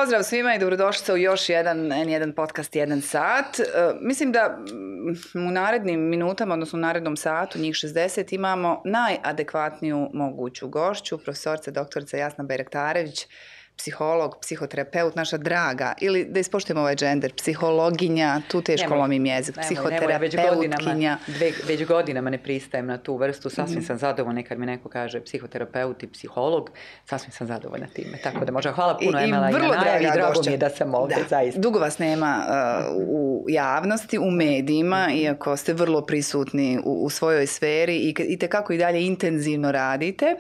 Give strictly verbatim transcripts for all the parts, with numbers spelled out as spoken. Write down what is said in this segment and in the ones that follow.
Pozdrav svima i dobrodošli u još jedan, jedan podcast, jedan sat. Uh, mislim da u narednim minutama, odnosno u narednom satu, njih šezdeset, imamo najadekvatniju moguću gošću, profesorica doktorica Jasna Bajraktarević, psiholog, psihoterapeut, naša draga, ili da ispoštujemo ovaj džender, psihologinja, tu teško nemoj, lomim jezik, nemoj, psihoterapeutkinja. Nemoj, već, godinama, već godinama ne pristajem na tu vrstu, sasvim mm. sam zadovoljna kad mi neko kaže psihoterapeut i psiholog, sasvim sam zadovoljna time. Tako da možda hvala puno I, Emela i, i na najavi, drago mi je da sam ovdje, da. zaista. Dugo vas nema uh, u javnosti, u medijima, mm. iako ste vrlo prisutni u, u svojoj sferi i, i tekako i dalje intenzivno radite.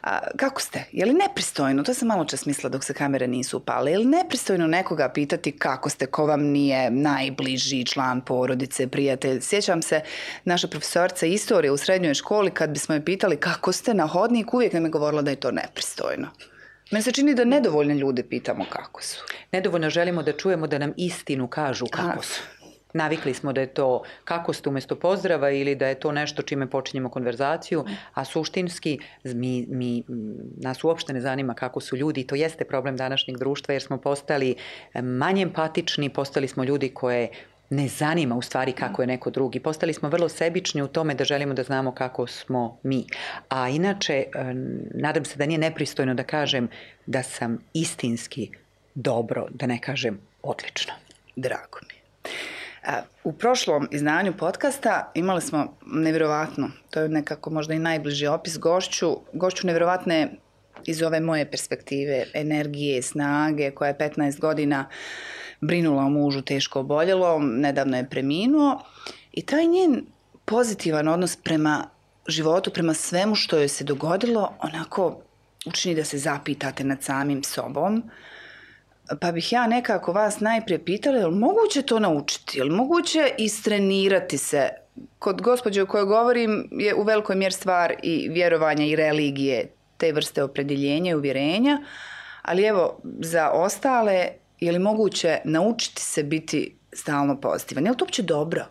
A, kako ste? Je li nepristojno? To sam malo čas mislila dok se kamere nisu upale. Je li nepristojno nekoga pitati kako ste, ko vam nije najbliži član porodice, prijatelj? Sjećam se, naša profesorica istorije u srednjoj školi, kad bismo je pitali kako ste na hodniku, uvijek nam je govorila da je to nepristojno. Meni se čini da nedovoljne ljude pitamo kako su. Nedovoljno želimo da čujemo da nam istinu kažu kako su. Navikli smo da je to kako ste umjesto pozdrava ili da je to nešto čime počinjemo konverzaciju, a suštinski mi, mi, nas uopšte ne zanima kako su ljudi i to jeste problem današnjeg društva jer smo postali manje empatični, postali smo ljudi koje ne zanima u stvari kako je neko drugi. Postali smo vrlo sebični u tome da želimo da znamo kako smo mi. A inače, nadam se da nije nepristojno da kažem da sam istinski dobro, da ne kažem odlično. Drago mi. U prošlom izdanju podcasta imali smo nevjerovatno, to je nekako možda i najbliži opis, gošću, gošću nevjerovatne iz ove moje perspektive, energije, snage, koja je petnaest godina brinula o mužu teško oboljelom, nedavno je preminuo i taj njen pozitivan odnos prema životu, prema svemu što joj se dogodilo, onako učini da se zapitate nad samim sobom. Pa bih ja nekako vas najprije pitala, je li moguće to naučiti? Je li moguće istrenirati se? Kod gospođe o kojoj govorim je u velikoj mjeri stvar i vjerovanja i religije, te vrste opredjeljenja i uvjerenja, ali evo, za ostale, je li moguće naučiti se biti stalno pozitivan? Je li to uopće dobro?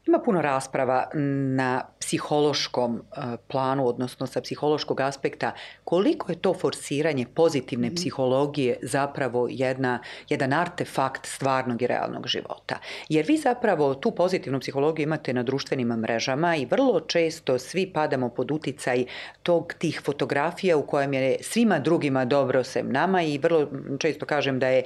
Ima puno rasprava na psihološkom planu, odnosno sa psihološkog aspekta, koliko je to forsiranje pozitivne psihologije zapravo jedna, jedan artefakt stvarnog i realnog života. Jer vi zapravo tu pozitivnu psihologiju imate na društvenim mrežama i vrlo često svi padamo pod uticaj tog tih fotografija u kojem je svima drugima dobro sem nama i vrlo često kažem da je,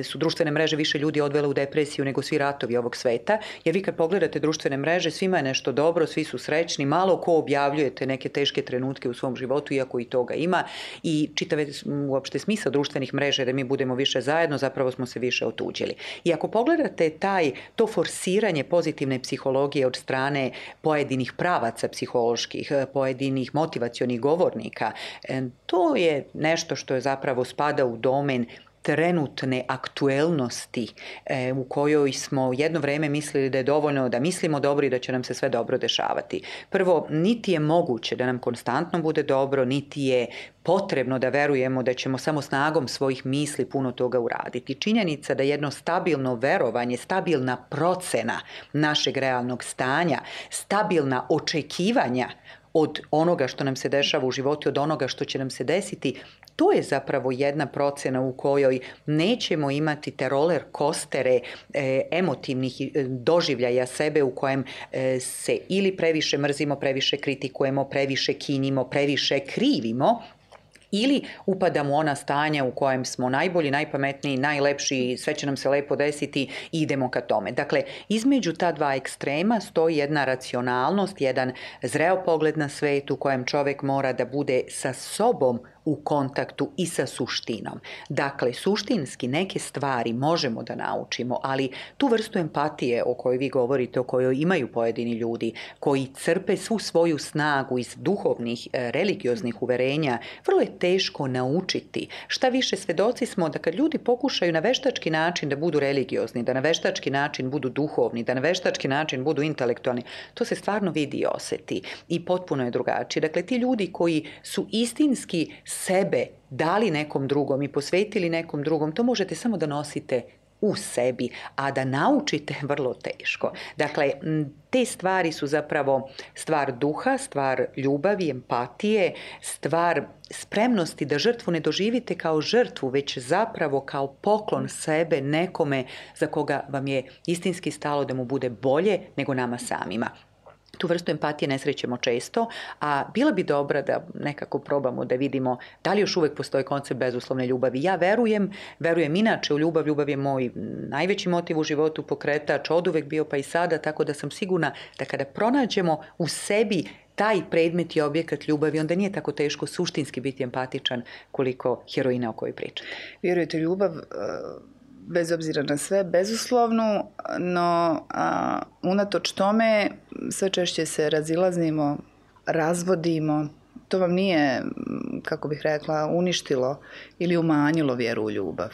su društvene mreže više ljudi odvele u depresiju nego svi ratovi ovog sveta. Jer vi kad pogledate društvene mreže, svima je nešto dobro, svi su srećni, malo ko objavljujete neke teške trenutke u svom životu, iako i toga ima i čitave uopšte smisao društvenih mreža da mi budemo više zajedno, zapravo smo se više otuđili. I ako pogledate taj, to forsiranje pozitivne psihologije od strane pojedinih pravaca psiholoških, pojedinih motivacionih govornika, to je nešto što je zapravo spada u domen trenutne aktuelnosti e, u kojoj smo jedno vrijeme mislili da je dovoljno da mislimo dobro i da će nam se sve dobro dešavati. Prvo, niti je moguće da nam konstantno bude dobro, niti je potrebno da verujemo da ćemo samo snagom svojih misli puno toga uraditi. Činjenica da jedno stabilno verovanje, stabilna procena našeg realnog stanja, stabilna očekivanja od onoga što nam se dešava u životu, od onoga što će nam se desiti, to je zapravo jedna procena u kojoj nećemo imati te roller coastere e, emotivnih doživljaja sebe u kojem e, se ili previše mrzimo, previše kritikujemo, previše kinjimo, previše krivimo, ili upadamo u ona stanja u kojem smo najbolji, najpametniji, najlepši, sve će nam se lepo desiti i idemo ka tome. Dakle, između ta dva ekstrema stoji jedna racionalnost, jedan zreo pogled na svet u kojem čovjek mora da bude sa sobom u kontaktu i sa suštinom. Dakle, suštinski neke stvari možemo da naučimo, ali tu vrstu empatije o kojoj vi govorite, o kojoj imaju pojedini ljudi, koji crpe svu svoju snagu iz duhovnih, religioznih uverenja, vrlo je teško naučiti. Šta više, svedoci smo da kad ljudi pokušaju na veštački način da budu religiozni, da na veštački način budu duhovni, da na veštački način budu intelektualni, to se stvarno vidi i osjeti i potpuno je drugačije. Dakle, ti ljudi koji su istinski sebe dali nekom drugom i posvetili nekom drugom, to možete samo da nosite u sebi, a da naučite vrlo teško. Dakle, te stvari su zapravo stvar duha, stvar ljubavi, empatije, stvar spremnosti da žrtvu ne doživite kao žrtvu, već zapravo kao poklon sebe nekome za koga vam je istinski stalo da mu bude bolje nego nama samima. Tu vrstu empatije ne srećemo često, a bila bi dobra da nekako probamo da vidimo da li još uvek postoji koncept bezuslovne ljubavi. Ja verujem, verujem inače u ljubav, ljubav je moj najveći motiv u životu, pokretač, oduvek bio pa i sada, tako da sam sigurna da kada pronađemo u sebi taj predmet i objekat ljubavi, onda nije tako teško suštinski biti empatičan koliko heroina o kojoj pričate. Vjerujete, ljubav, bez obzira na sve, bezuslovnu, no a, unatoč tome sve češće se razilazimo, razvodimo. To vam nije, kako bih rekla, uništilo ili umanjilo vjeru u ljubav?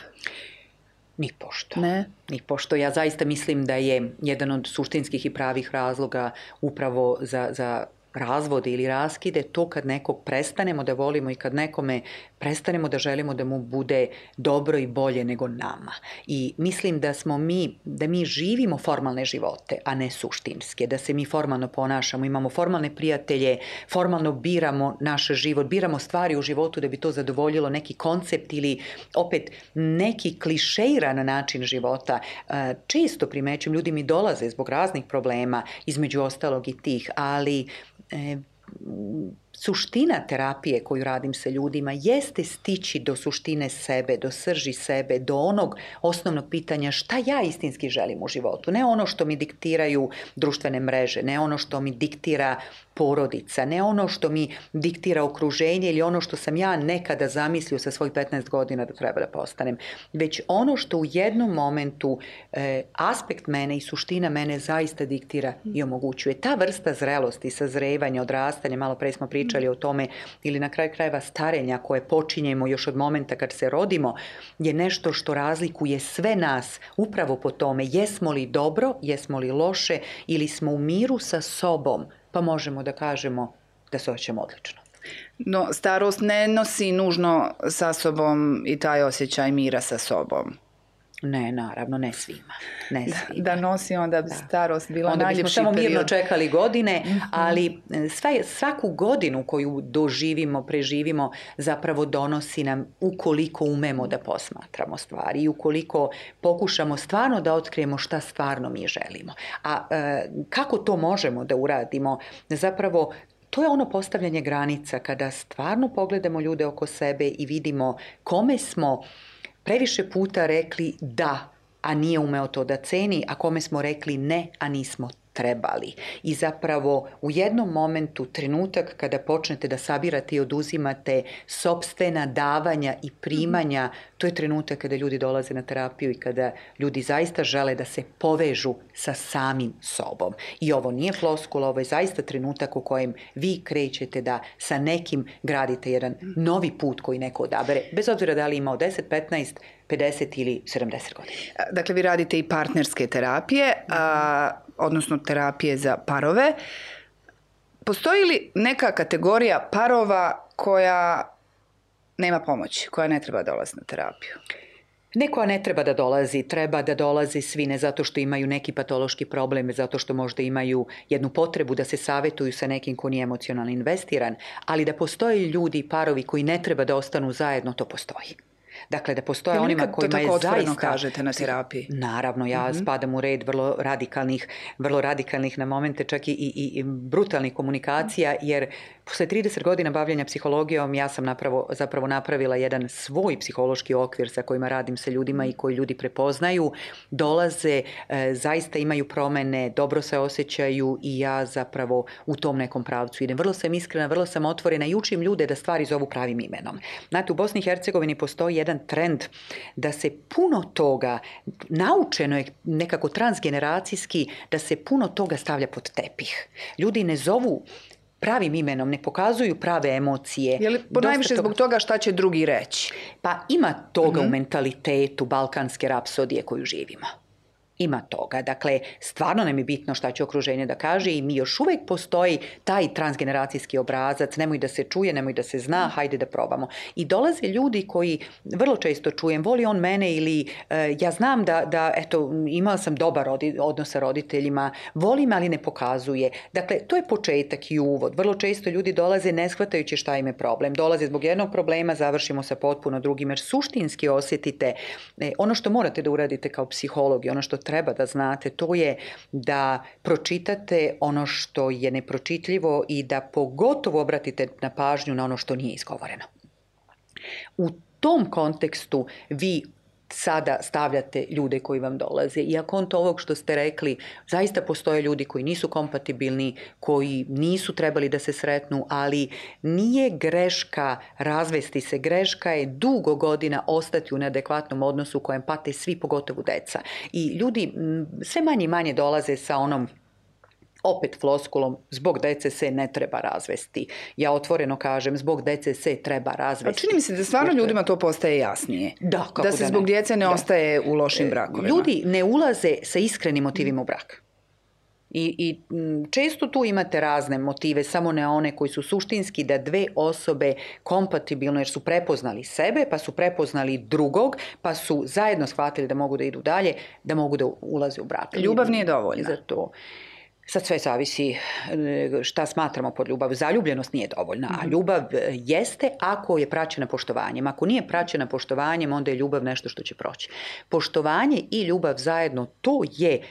Ni pošto. Ne? Ni pošto. Ja zaista mislim da je jedan od suštinskih i pravih razloga upravo za, za razvode ili raskide to kad nekog prestanemo da volimo i kad nekome prestanemo da želimo da mu bude dobro i bolje nego nama. I mislim da smo mi, da mi živimo formalne živote, a ne suštinske, da se mi formalno ponašamo, imamo formalne prijatelje, formalno biramo naš život, biramo stvari u životu da bi to zadovoljilo neki koncept ili opet neki klišeiran način života. Često primećujem, ljudi mi dolaze zbog raznih problema, između ostalog i tih, ali E, suština terapije koju radim sa ljudima jeste stići do suštine sebe, do srži sebe, do onog osnovnog pitanja šta ja istinski želim u životu. Ne ono što mi diktiraju društvene mreže, ne ono što mi diktira porodica, ne ono što mi diktira okruženje ili ono što sam ja nekada zamislio sa svojih petnaest godina da treba da postanem, već ono što u jednom momentu e, aspekt mene i suština mene zaista diktira i omogućuje. Ta vrsta zrelosti, sazrevanja, odrastanja, malo pre smo pričali o tome, ili na kraju krajeva starenja koje počinjemo još od momenta kad se rodimo, je nešto što razlikuje sve nas upravo po tome jesmo li dobro, jesmo li loše ili smo u miru sa sobom, pa možemo da kažemo da se osjećamo odlično. No, starost ne nosi nužno sa sobom i taj osjećaj mira sa sobom. Ne, naravno, ne svima. Ne svima. Da, da nosi onda bi starost bila onda najljepši period. Onda bismo samo mirno period. čekali godine, mm-hmm. ali sva, svaku godinu koju doživimo, preživimo, zapravo donosi nam ukoliko umemo da posmatramo stvari i ukoliko pokušamo stvarno da otkrijemo šta stvarno mi želimo. A e, kako to možemo da uradimo? Zapravo, to je ono postavljanje granica kada stvarno pogledamo ljude oko sebe i vidimo kome smo previše puta rekli da, a nije umeo to da ceni, a kome smo rekli ne, a nismo trebali. I zapravo u jednom momentu, trenutak kada počnete da sabirate i oduzimate sopstvena davanja i primanja, to je trenutak kada ljudi dolaze na terapiju i kada ljudi zaista žele da se povežu sa samim sobom. I ovo nije floskula, ovo je zaista trenutak u kojem vi krećete da sa nekim gradite jedan novi put koji neko odabere, bez obzira da li imao deset, petnaest, pedeset ili sedamdeset godina. Dakle, vi radite i partnerske terapije, a, odnosno terapije za parove. Postoji li neka kategorija parova koja nema pomoći, koja ne treba dolaziti na terapiju? Neko ne treba da dolazi, treba da dolaze svi, ne zato što imaju neki patološki problem, zato što možda imaju jednu potrebu da se savetuju sa nekim ko nije emocionalno investiran, ali da postoje ljudi i parovi koji ne treba da ostanu zajedno, to postoji. Dakle, da postoje onima kojima je zaista... kažete na terapiji? Naravno, ja mm-hmm. spadam u red vrlo radikalnih, vrlo radikalnih na momente čak i, i, i brutalnih komunikacija, jer posle trideset godina bavljenja psihologijom ja sam napravo, zapravo napravila jedan svoj psihološki okvir sa kojima radim sa ljudima i koji ljudi prepoznaju, dolaze, e, zaista imaju promene, dobro se osjećaju i ja zapravo u tom nekom pravcu idem. Vrlo sam iskrena, vrlo sam otvorena i učim ljude da stvari zovu pravim imenom. Znate, u Bosni i Hercegovini postoji jedan trend da se puno toga, naučeno je nekako transgeneracijski, da se puno toga stavlja pod tepih. Ljudi ne zovu pravim imenom, ne pokazuju prave emocije. Je li ponajviše toga... zbog toga šta će drugi reći? Pa ima toga mm-hmm. u mentalitetu balkanske rapsodije koju živimo. ima toga. Dakle, stvarno nam je bitno šta će okruženje da kaže i mi još uvijek postoji taj transgeneracijski obrazac, nemoj da se čuje, nemoj da se zna, hajde da probamo. I dolaze ljudi koji vrlo često čujem, voli on mene ili e, ja znam da, da eto, imala sam dobar rodi, odnos sa roditeljima, voli me, ali ne pokazuje. Dakle, to je početak i uvod. Vrlo često ljudi dolaze ne shvatajući šta im je problem. Dolaze zbog jednog problema, završimo sa potpuno drugim, jer suštinski osjetite e, ono što morate da uradite kao psiholog i ono što treba da znate, to je da pročitate ono što je nepročitljivo i da pogotovo obratite na pažnju na ono što nije izgovoreno. U tom kontekstu vi sada stavljate ljude koji vam dolaze. I ako on to ovog što ste rekli, zaista postoje ljudi koji nisu kompatibilni, koji nisu trebali da se sretnu, ali nije greška razvesti se. Greška je dugo godina ostati u neadekvatnom odnosu u kojem pate svi, pogotovo deca. I ljudi sve manje i manje dolaze sa onom opet floskulom, zbog dece se ne treba razvesti. Ja otvoreno kažem, zbog dece se treba razvesti. A čini mi se da stvarno ljudima to postaje jasnije. Da, kako da se da zbog ne. djece ne da. ostaje u lošim brakovima. Ljudi ne ulaze sa iskrenim motivima u brak. I, i često tu imate razne motive, samo ne one koji su suštinski da dve osobe kompatibilno, jer su prepoznali sebe, pa su prepoznali drugog, pa su zajedno shvatili da mogu da idu dalje, da mogu da ulaze u brak. Ljubav nije dovoljna. Za to. Sad sve zavisi šta smatramo pod ljubav. Zaljubljenost nije dovoljna, a ljubav jeste ako je praćena poštovanjem. Ako nije praćena poštovanjem, onda je ljubav nešto što će proći. Poštovanje i ljubav zajedno, to je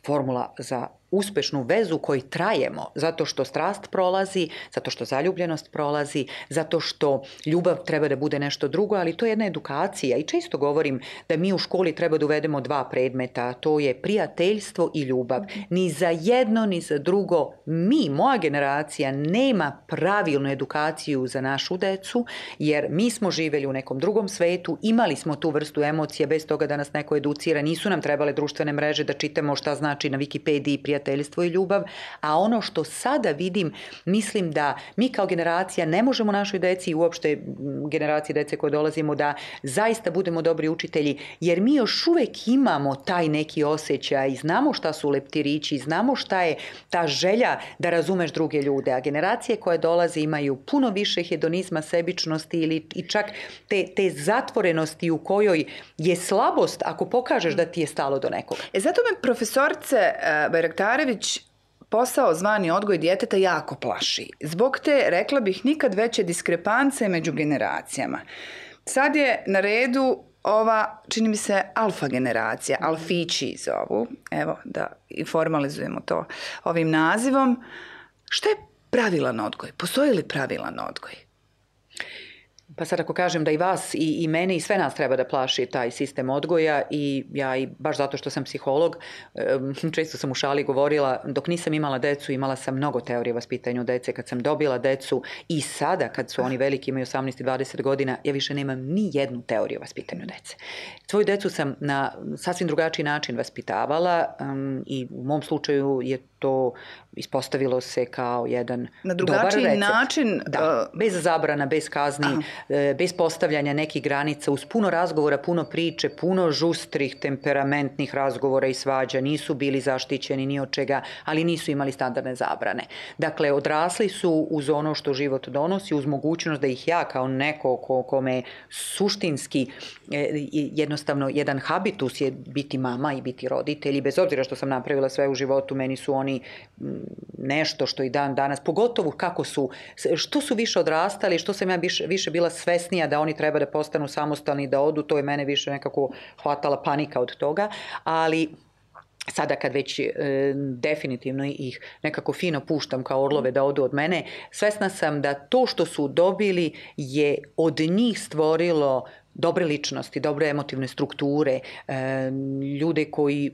formula za uspešnu vezu koji trajemo, zato što strast prolazi, zato što zaljubljenost prolazi, zato što ljubav treba da bude nešto drugo, ali to je jedna edukacija i često govorim da mi u školi treba da uvedemo dva predmeta, to je prijateljstvo i ljubav. Ni za jedno, ni za drugo mi, moja generacija, nema pravilnu edukaciju za našu decu, jer mi smo živjeli u nekom drugom svetu, imali smo tu vrstu emocija bez toga da nas neko educira, nisu nam trebale društvene mreže da čitamo šta znači na Wikipediji prijateljstvo i ljubav, a ono što sada vidim, mislim da mi kao generacija ne možemo našoj deci i uopšte generaciji dece koje dolazimo da zaista budemo dobri učitelji, jer mi još uvek imamo taj neki osjećaj i znamo šta su leptirići, znamo šta je ta želja da razumeš druge ljude, a generacije koje dolaze imaju puno više hedonizma, sebičnosti ili i čak te, te zatvorenosti u kojoj je slabost ako pokažeš da ti je stalo do nekoga. E zato me profesorice uh, Bajraktarević posao zvani odgoj djeteta jako plaši. Zbog te, rekla bih, nikad veće diskrepance među generacijama. Sad je na redu ova, čini mi se, alfa generacija, alfići zovu, evo da i formalizujemo to ovim nazivom. Šta je pravilan odgoj? Postoji li pravilan odgoj? Pa sad ako kažem da i vas i, i mene i sve nas treba da plaši taj sistem odgoja i ja i baš zato što sam psiholog, često sam u šali govorila, dok nisam imala decu, imala sam mnogo teorije o vaspitanju dece. Kad sam dobila decu i sada kad su oni veliki, imaju osamnaest i dvadeset godina, ja više nemam ni jednu teoriju o vaspitanju dece. Svoju decu sam na sasvim drugačiji način vaspitavala um, i u mom slučaju je to ispostavilo se kao jedan na drugačiji dobar recept. način. Da, bez zabrana, bez kazni, aha, bez postavljanja nekih granica, uz puno razgovora, puno priče, puno žustrih, temperamentnih razgovora i svađa. Nisu bili zaštićeni ni od čega, ali nisu imali standardne zabrane. Dakle, odrasli su uz ono što život donosi, uz mogućnost da ih ja kao neko ko, kome suštinski jednostavno jedan habitus je biti mama i biti roditelj i bez obzira što sam napravila sve u životu, meni su oni nešto što i dan danas, pogotovo kako su, što su više odrastali, što sam ja više, više bila svesnija da oni treba da postanu samostalni, da odu, to je mene više nekako hvatala panika od toga, ali sada kad već e, definitivno ih nekako fino puštam kao orlove da odu od mene, svesna sam da to što su dobili je od njih stvorilo dobre ličnosti, dobre emotivne strukture, e, ljude koji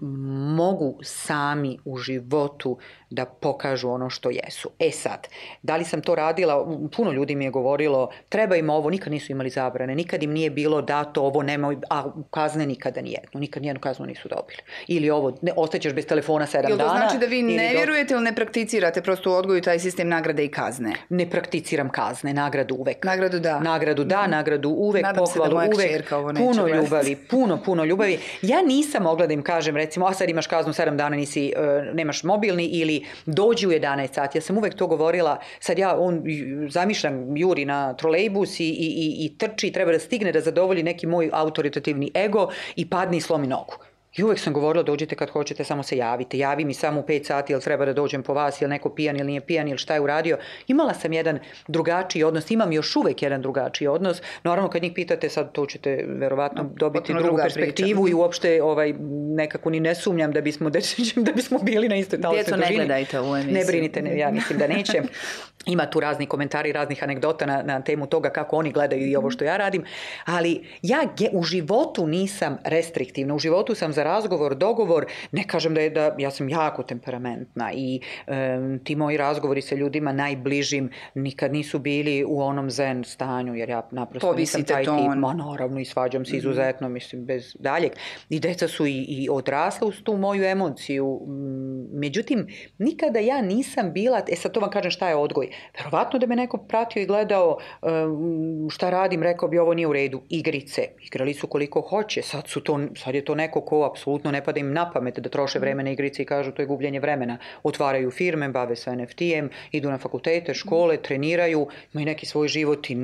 mogu sami u životu da pokažu ono što jesu. E sad, da li sam to radila? Puno ljudi mi je govorilo, treba im ovo, nikad nisu imali zabrane, nikad im nije bilo dato ovo, nemoj, a kazne nikada nijednu, nikad nijednu kaznu nisu dobili. Ili ovo, ne, ostaćeš bez telefona sedam dana. Jel to znači da vi ne do... vjerujete ili ne prakticirate prosto u odgoju taj sistem nagrade i kazne? Ne prakticiram kazne, nagradu uvek. Nagradu da. Nagradu da, mm-hmm. nagradu uvek, Nadam pohvalu se da moja uvek puno ljubavi, puno, puno ljubavi. Ja nisam mogla da im kažem, recimo, a sad imaš kaznu sedam dana, nisi, uh, nemaš mobilni ili dođi u jedanaest sati. Ja sam uvek to govorila, sad ja, on zamišljam, juri na trolejbus i, i, i, i trči, treba da stigne da zadovolji neki moj autoritativni ego i padne i slomi nogu. I uvek sam govorila, dođite kad hoćete, samo se javite. Javi mi samo u pet sati, jel treba da dođem po vas, jel neko pijan ili nije pijan, ili šta je uradio. Imala sam jedan drugačiji odnos, imam još uvek jedan drugačiji odnos. Naravno, kad njih pitate, sad to ćete verovatno dobiti drugu perspektivu priča. I uopšte ovaj, nekako ni ne sumnjam da bismo, da bismo bili na istoj talasnoj dužini. Djeco, ne gledajte u emisiju. Ne brinite, ne, ja mislim da neće. Ima tu razni komentari, raznih anegdota na, na temu toga kako oni gledaju i ovo što ja radim, ali ja ge, u životu nisam restriktivna, u životu sam za razgovor, dogovor, ne kažem da je da, ja sam jako temperamentna i um, ti moji razgovori sa ljudima najbližim nikad nisu bili u onom zen stanju, jer ja naprosto Povisite nisam taj ton. tip, ma naravno i svađam se izuzetno, mislim, bez daljeg. I deca su i, i odrasla uz tu moju emociju, međutim, nikada ja nisam bila, e sad to vam kažem šta je odgoj. Verovatno da me neko pratio i gledao šta radim, rekao bi ovo nije u redu. Igrice, igrali su koliko hoće, sad, su to, sad je to neko ko apsolutno ne pada im na pamet da troše vreme na igrice i kažu to je gubljenje vremena. Otvaraju firme, bave se en ef te-em, idu na fakultete, škole, treniraju, imaju neki svoj život i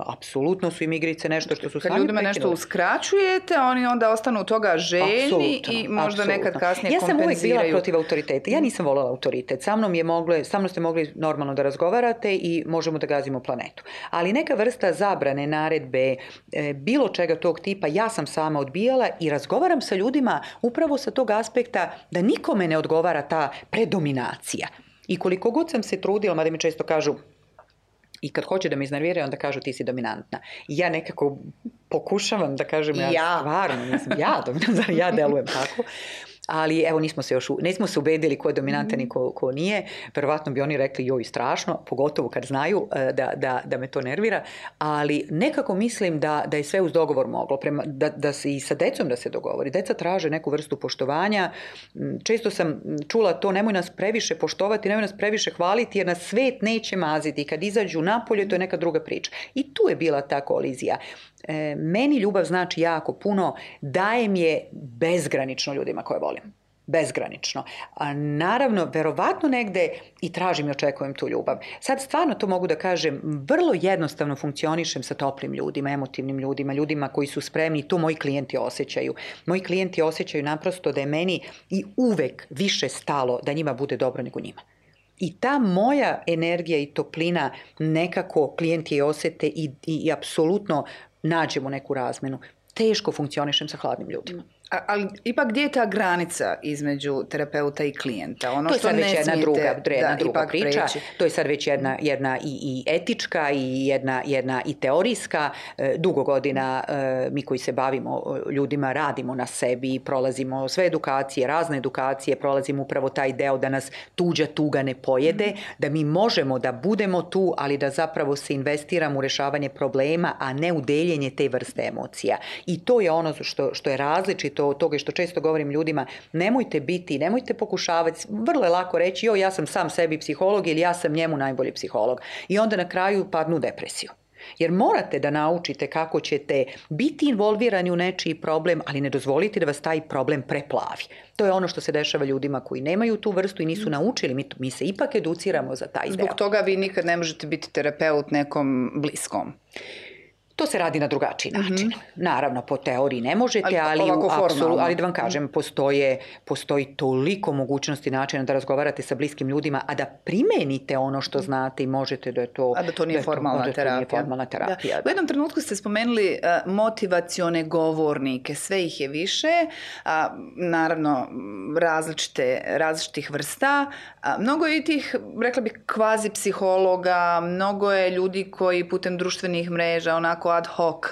apsolutno su im igrice nešto što su sami prekinuli. Kad ljudima nešto uskraćujete, oni onda ostanu toga željni apsolutno, i možda apsolutno. Nekad kasnije ja kompenziraju. Ja sam uvijek bila protiv autoriteta. Ja nisam voljela autoritet. Sa mnom je mogle, sa mnom ste mogli normalno da razgovarate i možemo da gazimo planetu. Ali neka vrsta zabrane, naredbe, e, bilo čega tog tipa, ja sam sama odbijala i razgovaram sa ljudima upravo sa tog aspekta da nikome ne odgovara ta predominacija. I koliko god sam se trudila, mada mi često kažu, i kad hoće da me iznerviraju, onda kažu ti si dominantna. I ja nekako pokušavam da kažem, ja, ja. stvarno nisam ja dominantna, ja delujem tako. Ali evo nismo se još, nismo se ubedili ko je dominantan i ko, ko nije. Verovatno bi oni rekli joj strašno, pogotovo kad znaju da, da, da me to nervira. Ali nekako mislim da, da je sve uz dogovor moglo. Prema, da, da se i sa decom da se dogovori. Deca traže neku vrstu poštovanja. Često sam čula to, nemoj nas previše poštovati, nemoj nas previše hvaliti jer nas svet neće maziti. Kad izađu napolje, to je neka druga priča. I tu je bila ta kolizija. E, meni ljubav znači jako puno, dajem je bezgranično ljudima koje volim. Bezgranično. A naravno, verovatno negde i tražim i očekujem tu ljubav. Sad stvarno to mogu da kažem, vrlo jednostavno funkcionišem sa toplim ljudima, emotivnim ljudima, ljudima koji su spremni, to moji klijenti osjećaju. Moji klijenti osjećaju naprosto da je meni i uvek više stalo da njima bude dobro nego njima. I ta moja energija i toplina nekako klijenti je osete i, i, i apsolutno nađemo neku razmenu. Teško funkcionišem sa hladnim ljudima. A, ali ipak gdje je ta granica između terapeuta i klijenta? Ono to je što sad već jedna druga, jedna da, druga priča. preći. To je sad već jedna, jedna i, i etička i jedna, jedna i teorijska. E, dugo godina e, mi koji se bavimo ljudima radimo na sebi, prolazimo sve edukacije, razne edukacije, prolazimo upravo taj deo da nas tuđa tuga ne pojede, mm. da mi možemo da budemo tu, ali da zapravo se investiramo u rešavanje problema, a ne u deljenje te vrste emocija. I to je ono što, što je različito od toga što često govorim ljudima, nemojte biti, nemojte pokušavati, vrlo je lako reći, jo, ja sam sam sebi psiholog ili ja sam njemu najbolji psiholog. I onda na kraju padnu u depresiju. Jer morate da naučite kako ćete biti involvirani u nečiji problem, ali ne dozvolite da vas taj problem preplavi. To je ono što se dešava ljudima koji nemaju tu vrstu i nisu naučili. Mi, mi se ipak educiramo za taj deo. Zbog toga vi nikad ne možete biti terapeut nekom bliskom. To se radi na drugačiji način. Mm-hmm. Naravno, po teoriji ne možete, ali, ali, apsolu, ali da vam kažem, postoje, postoji toliko mogućnosti načina da razgovarate sa bliskim ljudima, a da primenite ono što znate i možete da je to... A da to nije da formalna to, terapija. Da to nije formalna terapija. Da. Da. U jednom trenutku ste spomenuli uh, motivacione govornike, sve ih je više, a, naravno različite, različitih vrsta. A, mnogo je i tih, rekla bih, kvazi psihologa, mnogo je ljudi koji putem društvenih mreža, onako ad hoc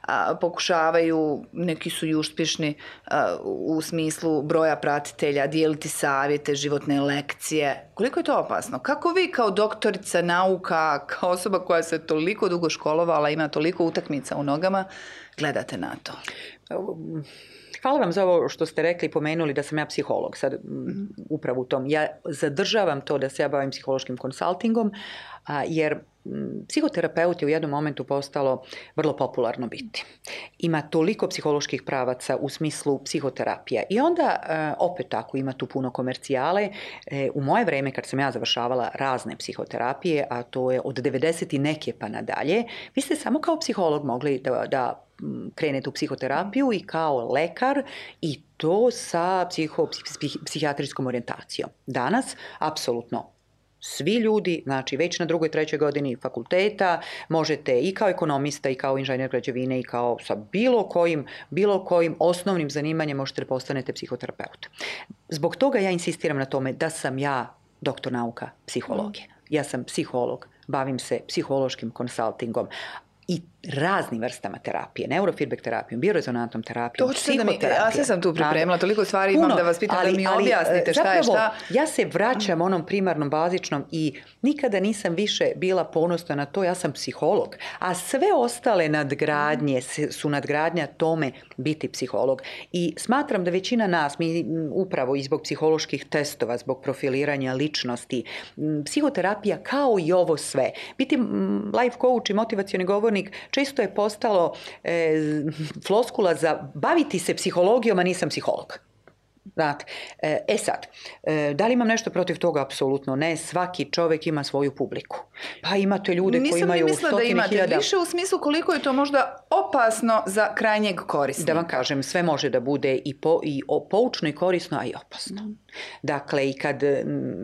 a, pokušavaju, neki su i uspješni a, u smislu broja pratitelja, dijeliti savjete, životne lekcije. Koliko je to opasno? Kako vi kao doktorica nauka, kao osoba koja se toliko dugo školovala, ima toliko utakmica u nogama, gledate na to? Hvala vam za ovo što ste rekli i pomenuli da sam ja psiholog, sad upravo u tom. Ja zadržavam to da se ja bavim psihološkim konsultingom, jer psihoterapeut je u jednom momentu postalo vrlo popularno biti. Ima toliko psiholoških pravaca u smislu psihoterapija. I onda, opet tako, ima tu puno komercijale. U moje vreme, kad sam ja završavala razne psihoterapije, a to je od devedeset i neke pa nadalje, vi ste samo kao psiholog mogli da, da krenete u psihoterapiju i kao lekar i to sa psiho, psih, psihijatrijskom orijentacijom. Danas, apsolutno, svi ljudi, znači već na drugoj, trećoj godini fakulteta, možete i kao ekonomista i kao inženjer građevine i kao sa bilo kojim, bilo kojim osnovnim zanimanjem možete da postanete psihoterapeut. Zbog toga ja insistiram na tome da sam ja doktor nauka psihologije. Ja sam psiholog, bavim se psihološkim konsultingom i raznim vrstama terapije, neurofeedback terapijom, biorezonantnom terapijom, psihoterapijom. Ja sve sam tu pripremila, toliko stvari puno, imam da vas pitam, ali, da mi ali, objasnite šta zapravo, je šta. Ja se vraćam onom primarnom, bazičnom i nikada nisam više bila ponosna na to, ja sam psiholog, a sve ostale nadgradnje su nadgradnja tome biti psiholog. I smatram da većina nas, mi upravo i zbog psiholoških testova, zbog profiliranja ličnosti, psihoterapija kao i ovo sve. Biti life coach i motivacioni govornik često je postalo e, floskula za baviti se psihologijom, a nisam psiholog. Znate, e sad, da li imam nešto protiv toga? Apsolutno ne. Svaki čovjek ima svoju publiku. Pa imate ljude Nisam koji imaju stotine hiljada... Nisam mislila da imate više u smislu koliko je to možda opasno za krajnjeg korisnika. Da vam kažem, sve može da bude i, po, i poučno i korisno, a i opasno. Mm. Dakle, i kad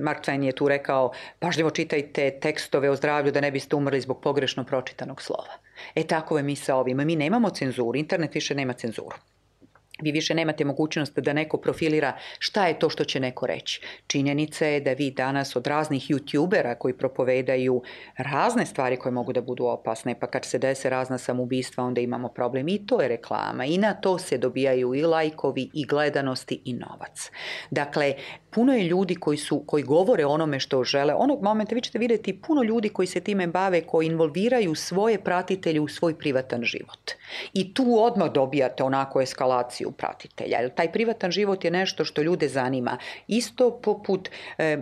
Mark Twain je tu rekao, pažljivo čitajte tekstove o zdravlju da ne biste umrli zbog pogrešno pročitanog slova. E tako je mi sa ovim. Mi nemamo cenzuru, internet više nema cenzuru. Vi više nemate mogućnost da neko profilira šta je to što će neko reći. Činjenica je da vi danas od raznih youtubera koji propovedaju razne stvari koje mogu da budu opasne, pa kad se dese razna samoubistva, onda imamo problem. I to je reklama. I na to se dobijaju i lajkovi, i gledanosti, i novac. Dakle, puno je ljudi koji, su, koji govore onome što žele. Onog momenta vi ćete vidjeti puno ljudi koji se time bave, koji involviraju svoje pratitelje u svoj privatan život. I tu odmah dobijate onako eskalaciju pratitelja. Jer taj privatan život je nešto što ljude zanima. Isto poput e,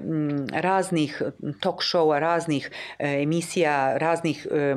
raznih talk showa, raznih e, emisija, raznih e,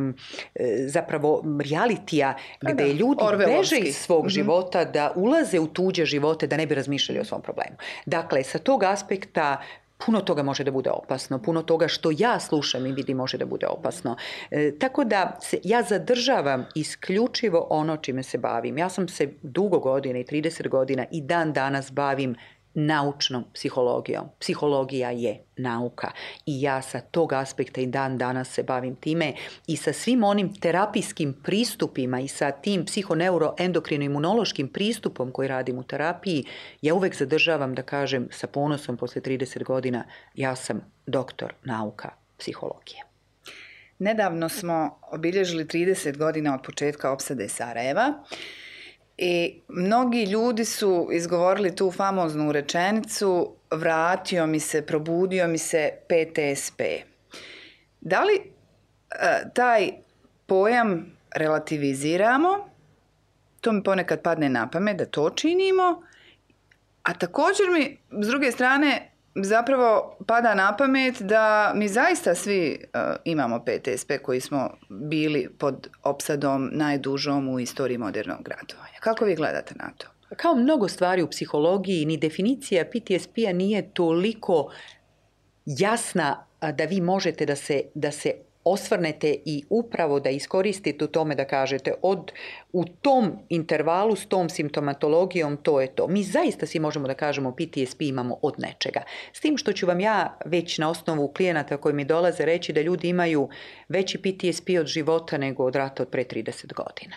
zapravo realitija gdje ljudi beže iz svog mm-hmm. života da ulaze u tuđe živote da ne bi razmišljali o svom problemu. Dakle, sa tog aspekta puno toga može da bude opasno, puno toga što ja slušam i vidim može da bude opasno. E, tako da se, ja zadržavam isključivo ono čime se bavim. Ja sam se dugo godina i trideset godina i dan danas bavim naučnom psihologijom. Psihologija je nauka i ja sa tog aspekta i dan danas se bavim time i sa svim onim terapijskim pristupima i sa tim psihoneuroendokrino-imunološkim pristupom koji radim u terapiji, ja uvek zadržavam da kažem sa ponosom posle trideset godina, ja sam doktor nauka psihologije. Nedavno smo obilježili trideset godina od početka opsade Sarajeva. I mnogi ljudi su izgovorili tu famoznu rečenicu vratio mi se, probudio mi se P T S P. Da li e, taj pojam relativiziramo? To mi ponekad padne na pamet da to činimo. A također mi s druge strane zapravo pada na pamet da mi zaista svi uh, imamo P T S P koji smo bili pod opsadom najdužom u istoriji modernog ratovanja. Kako vi gledate na to? Kao mnogo stvari u psihologiji, ni definicija P T S P-a nije toliko jasna da vi možete da se, da se osvrnete i upravo da iskoristite u tome da kažete od, u tom intervalu s tom simptomatologijom to je to. Mi zaista svi možemo da kažemo P T S P imamo od nečega. S tim što ću vam ja već na osnovu klijenata koji mi dolaze reći da ljudi imaju veći P T S P od života nego od rata od pre trideset godina.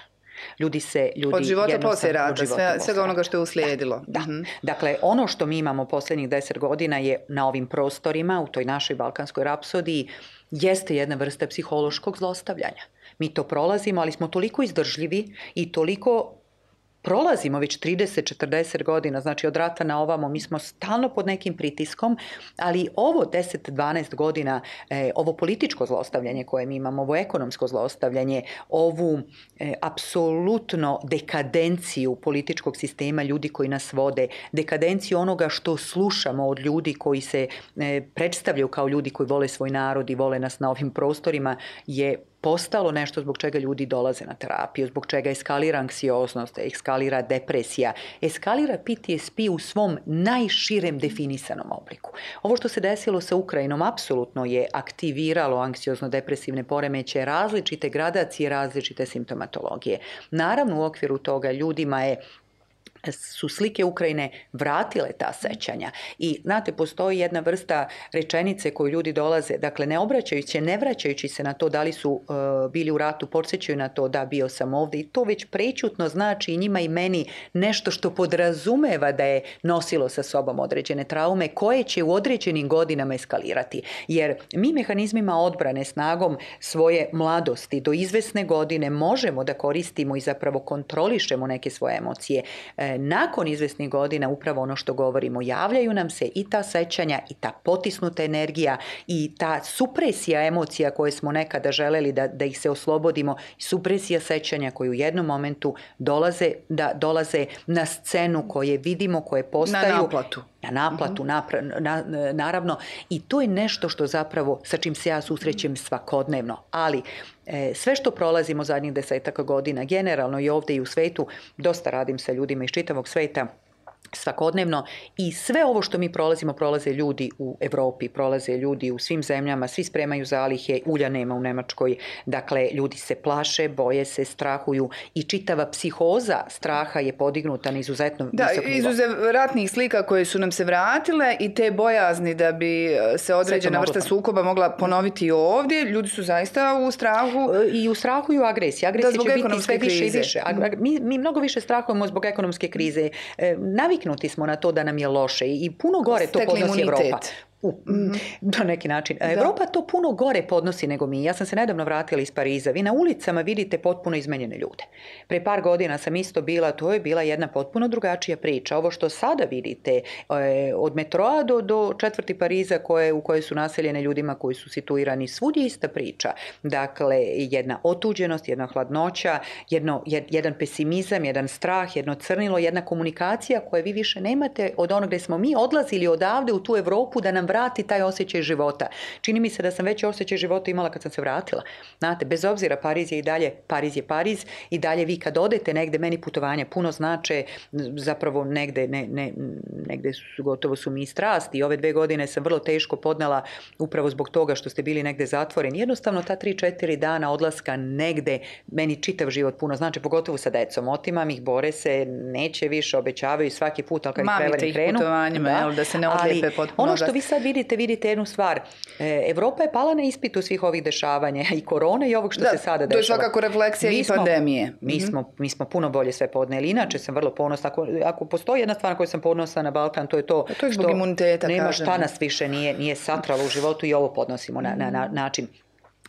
Ljudi se, ljudi od života poslije rata, sve, svega onoga što je uslijedilo. Da, da. Mm-hmm. Dakle, ono što mi imamo posljednjih deset godina je na ovim prostorima, u toj našoj balkanskoj rapsodiji, jeste jedna vrsta psihološkog zlostavljanja. Mi to prolazimo, ali smo toliko izdržljivi i toliko prolazimo već trideset četrdeset godina, znači od rata na ovamo, mi smo stalno pod nekim pritiskom, ali ovo deset dvanaest godina, e, ovo političko zlostavljanje koje mi imamo, ovo ekonomsko zlostavljanje, ovu e, apsolutno dekadenciju političkog sistema, ljudi koji nas vode, dekadenciju onoga što slušamo od ljudi koji se e, predstavljaju kao ljudi koji vole svoj narod i vole nas na ovim prostorima, je postalo nešto zbog čega ljudi dolaze na terapiju, zbog čega eskalira anksioznost, eskalira depresija, eskalira P T S P u svom najširem definisanom obliku. Ovo što se desilo sa Ukrajinom apsolutno je aktiviralo anksiozno-depresivne poremećaje, različite gradacije, različite simptomatologije. Naravno, u okviru toga ljudima je su slike Ukrajine vratile ta sećanja. I znate, postoji jedna vrsta rečenice koju ljudi dolaze, dakle ne obraćajući, ne vraćajući se na to da li su uh, bili u ratu, podsjećaju na to da bio sam ovdje, i to već prećutno znači i njima i meni nešto što podrazumeva da je nosilo sa sobom određene traume koje će u određenim godinama eskalirati. Jer mi mehanizmima odbrane, snagom svoje mladosti do izvesne godine možemo da koristimo i zapravo kontrolišemo neke svoje emocije. Nakon izvesnih godina, upravo ono što govorimo, javljaju nam se i ta sećanja i ta potisnuta energija i ta supresija emocija koje smo nekada želeli da, da ih se oslobodimo, supresija sećanja koji u jednom momentu dolaze, da, dolaze na scenu, koje vidimo, koje postaju... Na naplatu. Na naplatu, mm-hmm. napra, na, naravno. I to je nešto što zapravo, sa čim se ja susrećem svakodnevno. Ali e, sve što prolazimo zadnjih desetaka godina, generalno i ovdje i u svetu, dosta radim sa ljudima iz čitavog sveta, svakodnevno, i sve ovo što mi prolazimo, prolaze ljudi u Evropi, prolaze ljudi u svim zemljama, svi spremaju zalihe, ulja nema u Nemačkoj, dakle ljudi se plaše, boje se, strahuju i čitava psihoza straha je podignuta na izuzetno da, visok nivo. Izuzev ratnih slika koje su nam se vratile i te bojazni da bi se određena vrsta sukoba mogla ponoviti ovdje, ljudi su zaista u strahu. I u strahu i u agresiji. Agresija će biti sve više i više. Mi, mi mnogo više strahujemo zbog ekonomske krize. Naviknuti smo na to da nam je loše i puno gore to podnosi Evropa. U, mm-hmm. Na neki način. Da. Evropa to puno gore podnosi nego mi. Ja sam se nedavno vratila iz Pariza. Vi na ulicama vidite potpuno izmenjene ljude. Pre par godina sam isto bila, to je bila jedna potpuno drugačija priča. Ovo što sada vidite od metroa do, do četvrti Pariza koje, u kojoj su naseljene ljudima koji su situirani, svud je ista priča. Dakle, jedna otuđenost, jedna hladnoća, jedno, jedan pesimizam, jedan strah, jedno crnilo, jedna komunikacija koje vi više nemate od onog gdje smo mi odlazili odavde u tu Evropu da nam vrati taj osjećaj života. Čini mi se da sam već osjećaj života imala kad sam se vratila. Znate, bez obzira, Pariz je i dalje, Pariz je Pariz, i dalje vi kad odete negde, meni putovanja puno znače, zapravo negde, ne, ne, negde su, gotovo su mi i strasti. I ove dve godine sam vrlo teško podnela upravo zbog toga što ste bili negde zatvoreni. Jednostavno ta tri četiri dana odlaska negde, meni čitav život puno znači, pogotovo sa decom. Otimam ih, bore se, neće više, obećavaju svaki put, ali kad ih prevarim krenu. Mamite ih putovanjima, da, da se ne odlijepe potpuno. Ono što vi sad vidite, vidite jednu stvar. Evropa je pala na ispitu svih ovih dešavanja, i korone i ovog što da, se sada dešava. To je svakako refleksija mi i smo, pandemije. Mi smo, mm-hmm. mi smo puno bolje sve podneli. Inače sam vrlo ponosna. Ako, ako postoji jedna stvar na koju sam ponosna na Balkan, to je to, to je zbog imuniteta, nema kažem. Šta nas više nije, nije satralo u životu, i ovo podnosimo na, na, na način.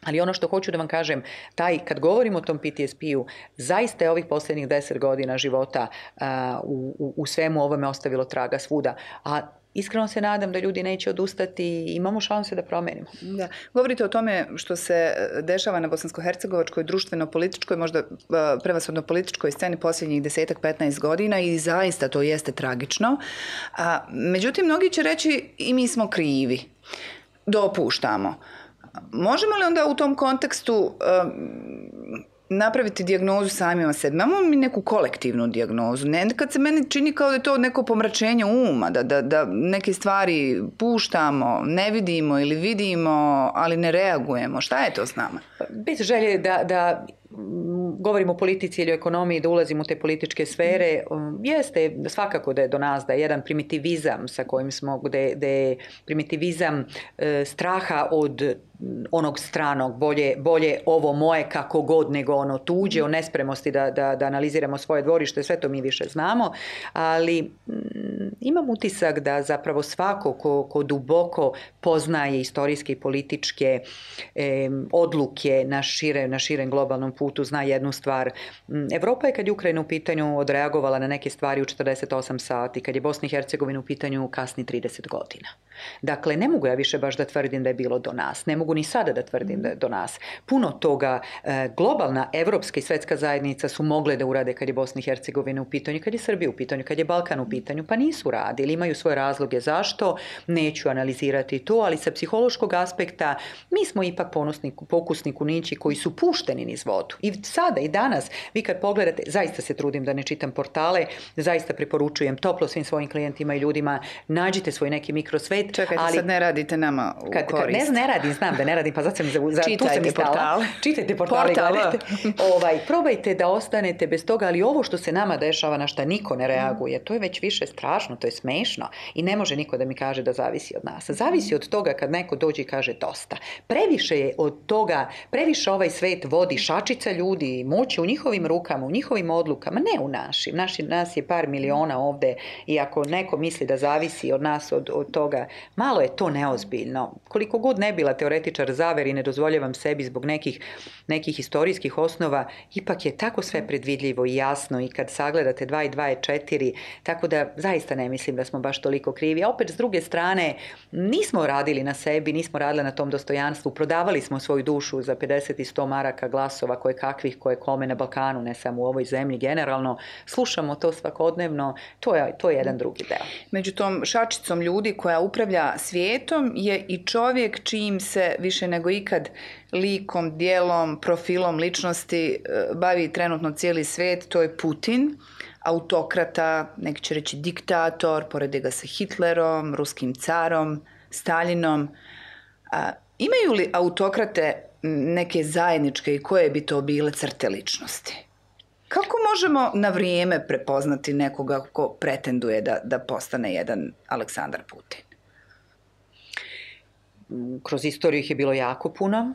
Ali ono što hoću da vam kažem, taj, kad govorimo o tom P T S P-u, zaista je ovih posljednjih deset godina života uh, u, u, u svemu ovome ostavilo traga svuda. A iskreno se nadam da ljudi neće odustati i imamo šanse da promenimo. Da. Govorite o tome što se dešava na bosansko-hercegovačkoj, društveno-političkoj, možda prevashodno političkoj sceni posljednjih desetak, petnaest godina, i zaista to jeste tragično. A, međutim, mnogi će reći i mi smo krivi. Dopuštamo. Možemo li onda u tom kontekstu um, napraviti dijagnozu samima sebi? Imamo mi neku kolektivnu dijagnozu. Ne, kad se meni čini kao da je to neko pomračenje uma, da, da, da neke stvari puštamo, ne vidimo ili vidimo, ali ne reagujemo. Šta je to s nama? Bez želje da... da... govorimo o politici ili o ekonomiji, da ulazimo u te političke sfere, jeste svakako da je do nas da je jedan primitivizam sa kojim smo, gde, gde je primitivizam e, straha od onog stranog, bolje, bolje ovo moje kako god nego ono tuđe, o nespremosti da, da, da analiziramo svoje dvorište, sve to mi više znamo, ali imam utisak da zapravo svako ko, ko duboko poznaje istorijske i političke e, odluke na, šire, na širem globalnom putu zna jednu stvar. Evropa je kad je Ukrajina u pitanju odreagovala na neke stvari u četrdeset osam sati, kad je Bosna i Hercegovina u pitanju kasni trideset godina. Dakle, ne mogu ja više baš da tvrdim da je bilo do nas. Ne mogu ni sada da tvrdim da je do nas. Puno toga e, globalna, evropska i svetska zajednica su mogle da urade kad je Bosna i Hercegovina u pitanju, kad je Srbija u pitanju, kad je Balkan u pitanju, pa nisu radili. Imaju svoje razloge zašto, neću analizirati to, ali sa psihološkog aspekta mi smo ipak ponosni, pokusni kunići koji su pušteni niz vodu. I sada i danas, vi kad pogledate, zaista se trudim da ne čitam portale, zaista preporučujem toplo svim svojim klijentima i ljudima, nađite svoj neki mikrosvet. Čekajte, ali, sad ne radite nama u kad, korist. Kad, ne, ne radim, znam da ne radim, pa zato sam za, za, tu sam portale. Čitajte portale. Gledajte. Ovaj, probajte da ostanete bez toga, ali ovo što se nama dešava, na šta niko ne reaguje, to je već više strašno, to je smešno i ne može niko da mi kaže da zavisi od nas. Zavisi od toga kad neko dođe i kaže dosta. Previše je od toga, previše ovaj svet vodi šačica ljudi, moć u njihovim rukama, u njihovim odlukama, ne u našim. Naši, nas je par miliona ovde i ako neko misli da zavisi od nas, od, od toga, malo je to neozbiljno. Koliko god ne bila teoretičar zavere i ne dozvoljavam sebi zbog nekih, nekih istorijskih osnova, ipak je tako sve predvidljivo i jasno i kad sagledate dva i dva je četiri, tako da zaista ne mislim da smo baš toliko krivi. A opet s druge strane, nismo radili na sebi, nismo radili na tom dostojanstvu, prodavali smo svoju dušu za pedeset i sto maraka glasova koje kakvih, koje kome na Balkanu, ne samo u ovoj zemlji generalno. Slušamo to svakodnevno, to je, to je jedan drugi deo. Među tom šačicom ljudi koja upravlja svijetom je i čovjek čijim se više nego ikad likom, dijelom, profilom ličnosti bavi trenutno cijeli svijet, to je Putin, autokrata, neki će reći diktator, porede ga sa Hitlerom, ruskim carom, Stalinom. A, imaju li autokrate neke zajedničke i koje bi to bile crte ličnosti? Kako možemo na vrijeme prepoznati nekoga ko pretenduje da, da postane jedan Aleksandar Putin? Kroz istoriju ih je bilo jako puno.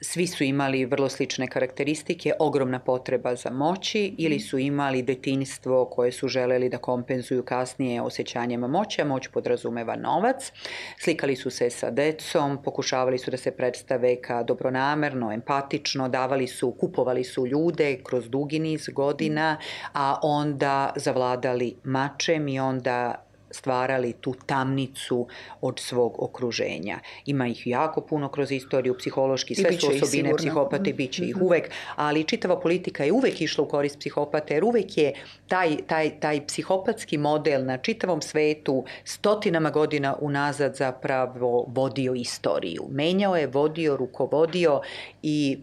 Svi su imali vrlo slične karakteristike, ogromna potreba za moći ili su imali detinjstvo koje su želeli da kompenzuju kasnije osjećanjima moći, a moć podrazumeva novac. Slikali su se sa decom, pokušavali su da se predstave kao dobronamerno, empatično, davali su, kupovali su ljude kroz dugi niz godina, a onda zavladali mačem i onda stvarali tu tamnicu od svog okruženja. Ima ih jako puno kroz istoriju, psihološki, sve su osobine psihopate, bit će ih uvek, ali čitava politika je uvek išla u korist psihopate, jer uvek je taj, taj, taj psihopatski model na čitavom svetu stotinama godina unazad zapravo vodio istoriju. Menjao je, vodio, rukovodio i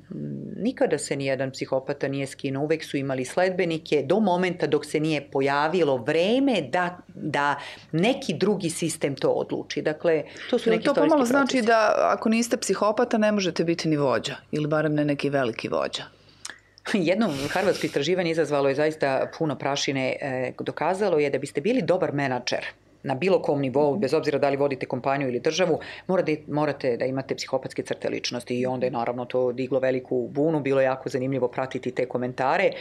nikada se nijedan psihopata nije skinuo. Uvek su imali sledbenike do momenta dok se nije pojavilo vreme da, da neki drugi sistem to odluči. Dakle, to su neki istorijski procesi. To pomalo znači da ako niste psihopata ne možete biti ni vođa ili barem ne neki veliki vođa? Jedno harvardsko istraživanje izazvalo je zaista puno prašine. Dokazalo je da biste bili dobar menadžer na bilo kom nivou, bez obzira da li vodite kompaniju ili državu, morate, morate da imate psihopatske crte ličnosti i onda je naravno to diglo veliku bunu, bilo je jako zanimljivo pratiti te komentare,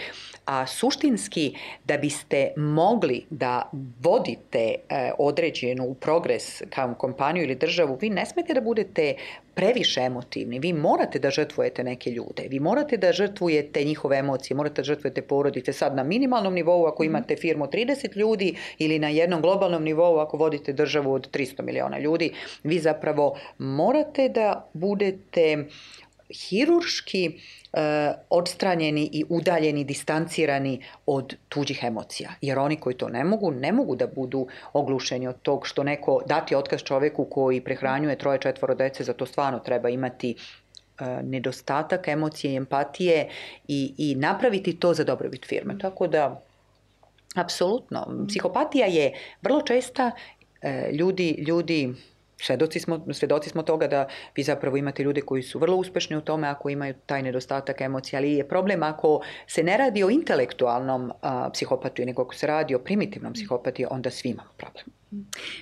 a suštinski da biste mogli da vodite e, određenu progres kao kompaniju ili državu, vi ne smete da budete previše emotivni, vi morate da žrtvujete neke ljude, vi morate da žrtvujete njihove emocije, morate da žrtvujete porodice sad na minimalnom nivou ako imate firmu trideset ljudi ili na jednom globalnom nivou ako vodite državu od tristo miliona ljudi, vi zapravo morate da budete hirurški e, odstranjeni i udaljeni, distancirani od tuđih emocija. Jer oni koji to ne mogu, ne mogu da budu oglušeni od tog što neko dati otkaz čoveku koji prehranjuje troje, četvoro dece, za to stvarno treba imati e, nedostatak emocije i empatije i, i napraviti to za dobrobit firme. Tako da, apsolutno, psihopatija je vrlo česta, e, ljudi, ljudi Svedoci smo, svedoci smo toga da vi zapravo imate ljude koji su vrlo uspešni u tome ako imaju taj nedostatak emocija, ali je problem ako se ne radi o intelektualnom a, psihopatiji, nego ako se radi o primitivnom psihopatiji, onda svi imamo problem.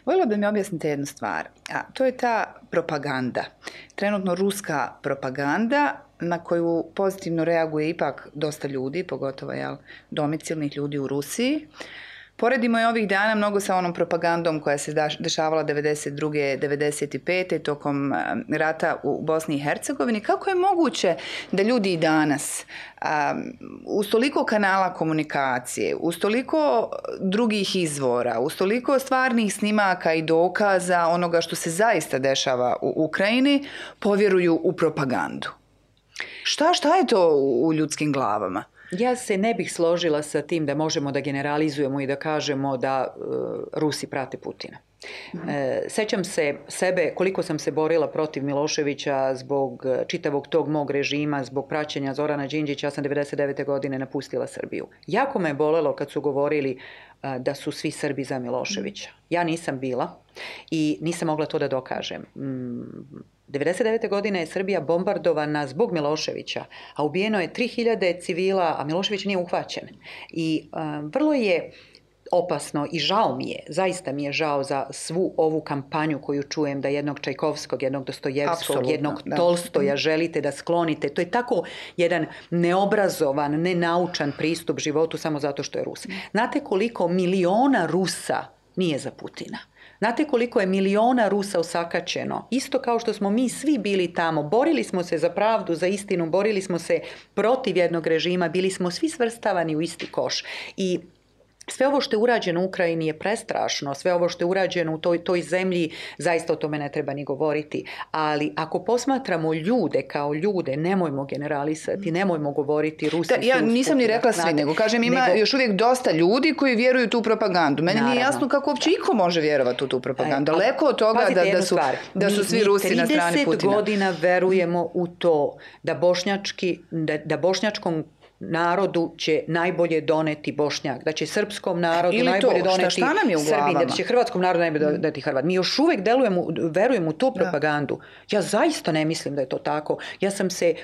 Voljela bi mi objasniti jednu stvar, a to je ta propaganda. Trenutno ruska propaganda na koju pozitivno reaguje ipak dosta ljudi, pogotovo jel, domicilnih ljudi u Rusiji. Poredimo je ovih dana mnogo sa onom propagandom koja se dešavala devedeset druge. devedeset pete tokom rata u Bosni i Hercegovini. Kako je moguće da ljudi i danas um, uz toliko kanala komunikacije, uz toliko drugih izvora, uz toliko stvarnih snimaka i dokaza onoga što se zaista dešava u Ukrajini, povjeruju u propagandu? Šta, šta je to u ljudskim glavama? Ja se ne bih složila sa tim da možemo da generalizujemo i da kažemo da uh, Rusi prate Putina. Mm-hmm. E, sećam se sebe koliko sam se borila protiv Miloševića zbog čitavog tog mog režima, zbog praćenja Zorana Đinđića. Ja sam devedeset devete godine napustila Srbiju. Jako me je bolelo kad su govorili uh, da su svi Srbi za Miloševića. Ja nisam bila i nisam mogla to da dokažem. Mm, devedeset devete godine je Srbija bombardovana zbog Miloševića, a ubijeno je tri hiljade civila, a Milošević nije uhvaćen. I um, vrlo je opasno i žao mi je, zaista mi je žao za svu ovu kampanju koju čujem da jednog Čajkovskog, jednog Dostojevskog, Absolutno, jednog da. Tolstoja želite da sklonite. To je tako jedan neobrazovan, nenaučan pristup životu samo zato što je Rus. Znate koliko miliona Rusa nije za Putina? Znate koliko je miliona Rusa osakaćeno? Isto kao što smo mi svi bili tamo. Borili smo se za pravdu, za istinu, borili smo se protiv jednog režima, bili smo svi svrstavani u isti koš. I sve ovo što je urađeno u Ukrajini je prestrašno, sve ovo što je urađeno u toj, toj zemlji, zaista o tome ne treba ni govoriti. Ali ako posmatramo ljude kao ljude, nemojmo generalisati, nemojmo govoriti Rusi. Da, ja nisam ni rekla svi, nego kažem ima nego, još uvijek dosta ljudi koji vjeruju tu propagandu. Meni naravno, nije jasno kako uopće iko može vjerovati u tu propagandu. Daleko od toga da, da, su, da su svi mi, Rusi na strani Putina. trideset godina verujemo u to da, bošnjački, da, da bošnjačkom narodu će najbolje doneti Bošnjak, da će srpskom narodu Ili najbolje to, doneti šta, šta Srbin, da će hrvatskom narodu najbolje doneti Hrvat. Mi još uvijek delujemo, verujemo u tu propagandu. Da. Ja zaista ne mislim da je to tako. Ja sam se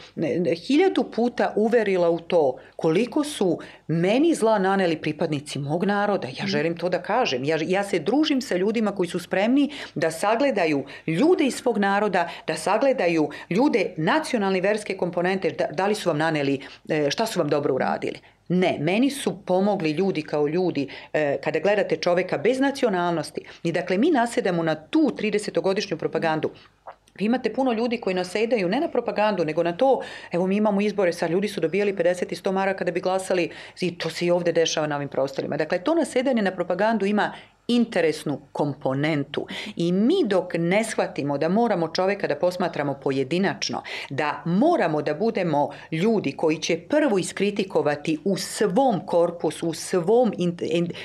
hiljadu puta uverila u to koliko su meni zla naneli pripadnici mog naroda. Ja želim to da kažem. Ja, ja se družim sa ljudima koji su spremni da sagledaju ljude iz svog naroda, da sagledaju ljude nacionalne verske komponente, da, da li su vam naneli, šta su vam dobro uradili. Ne, meni su pomogli ljudi kao ljudi e, kada gledate čoveka bez nacionalnosti. I dakle, mi nasedamo na tu tridesetogodišnju propagandu. Vi imate puno ljudi koji nasedaju ne na propagandu, nego na to, evo mi imamo izbore, sad ljudi su dobijali pedeset i sto maraka da bi glasali i to se i ovdje dešava na ovim prostorima. Dakle, to nasedanje na propagandu ima interesnu komponentu i mi dok ne shvatimo da moramo čovjeka da posmatramo pojedinačno, da moramo da budemo ljudi koji će prvo iskritikovati u svom korpusu, u svom,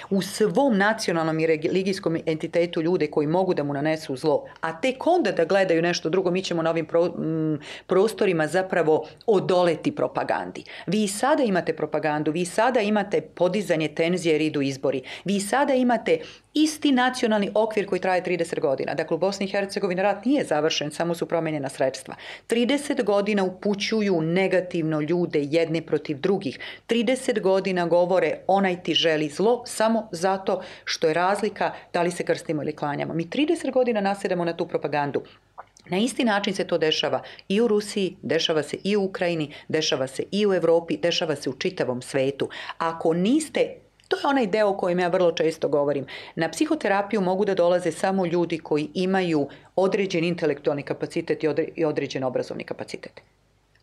u svom nacionalnom i religijskom entitetu ljude koji mogu da mu nanesu zlo, a tek onda da gledaju nešto drugo, mi ćemo na ovim pro, m, prostorima zapravo odoleti propagandi. Vi sada imate propagandu, vi sada imate podizanje tenzije jer idu izbori, vi sada imate isti nacionalni okvir koji traje trideset godina. Dakle, u Bosni i Hercegovini rat nije završen, samo su promijenjena sredstva. trideset godina upućuju negativno ljude jedne protiv drugih. trideset godina govore onaj ti želi zlo samo zato što je razlika da li se krstimo ili klanjamo. Mi trideset godina nasedamo na tu propagandu. Na isti način se to dešava i u Rusiji, dešava se i u Ukrajini, dešava se i u Europi, dešava se u čitavom svetu. Ako niste To je onaj deo o kojem ja vrlo često govorim. Na psihoterapiju mogu da dolaze samo ljudi koji imaju određen intelektualni kapacitet i određen obrazovni kapacitet.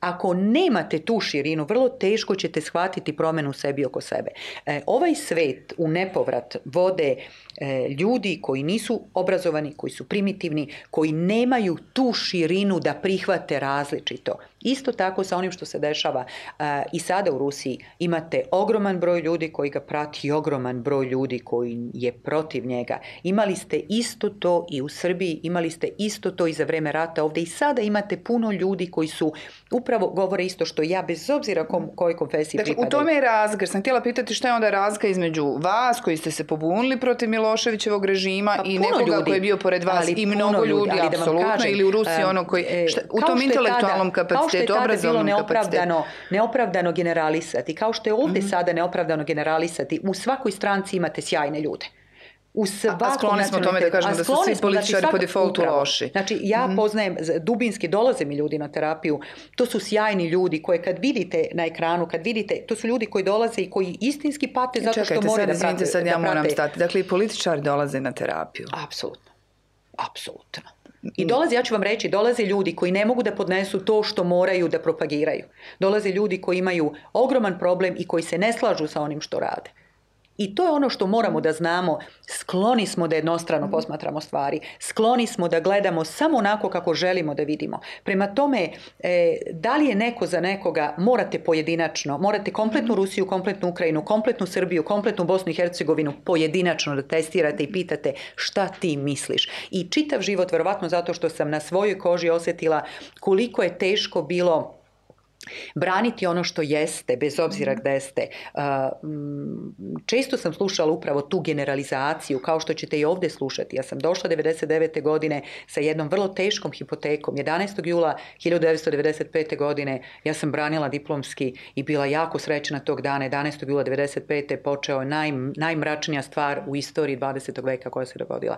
Ako nemate tu širinu, vrlo teško ćete shvatiti promjenu u sebi oko sebe. E, ovaj svet u nepovrat vode e, ljudi koji nisu obrazovani, koji su primitivni, koji nemaju tu širinu da prihvate različito. Isto tako sa onim što se dešava a, i sada u Rusiji. Imate ogroman broj ljudi koji ga prati i ogroman broj ljudi koji je protiv njega. Imali ste isto to i u Srbiji, imali ste isto to i za vreme rata ovdje i sada imate puno ljudi koji su upravo govore isto što ja, bez obzira kom, kojoj konfesiji dakle, pripadaju. U tome je razlika. Sam htjela pitati šta je onda razlika između vas koji ste se pobunili protiv Miloševićevog režima pa, i nekoga ljudi, koji je bio pored vas i mnogo ljudi, ljudi apsolutno, kažem, ili u Rusiji um, ono koji, šta, u tom intelektualnom kapacitetu. Kao što je tada bilo neopravdano, neopravdano generalisati, kao što je ovdje mm-hmm. sada neopravdano generalisati, u svakoj stranci imate sjajne ljude. U svakom a skloni smo tome da kažemo da su svi političari znači, po defaultu upravo. loši. Znači, ja mm-hmm. poznajem, dubinski dolaze mi ljudi na terapiju, to su sjajni ljudi koje kad vidite na ekranu, kad vidite, to su ljudi koji dolaze i koji istinski pate zato Čekajte, što moraju da prate. Čekajte, sad ja da moram prate. stati. Dakle, i političari dolaze na terapiju. Apsolutno. Apsolutno. I dolaze, ja ću vam reći, dolaze ljudi koji ne mogu da podnesu to što moraju da propagiraju. Dolaze ljudi koji imaju ogroman problem i koji se ne slažu sa onim što rade. I to je ono što moramo da znamo. Skloni smo da jednostrano posmatramo stvari. Skloni smo da gledamo samo onako kako želimo da vidimo. Prema tome, e, da li je neko za nekoga, morate pojedinačno, morate kompletnu Rusiju, kompletnu Ukrajinu, kompletnu Srbiju, kompletnu Bosnu i Hercegovinu pojedinačno da testirate i pitate šta ti misliš. I čitav život, verovatno zato što sam na svojoj koži osjetila koliko je teško bilo braniti ono što jeste, bez obzira gde ste. Često sam slušala upravo tu generalizaciju, kao što ćete i ovdje slušati. Ja sam došla devedeset devete godine sa jednom vrlo teškom hipotekom. jedanaestog jula hiljadu devetsto devedeset pete. godine ja sam branila diplomski i bila jako srećna tog dana. jedanaestog jula devedeset pete. počeo naj, najmračnija stvar u istoriji dvadesetog veka koja se dogodila.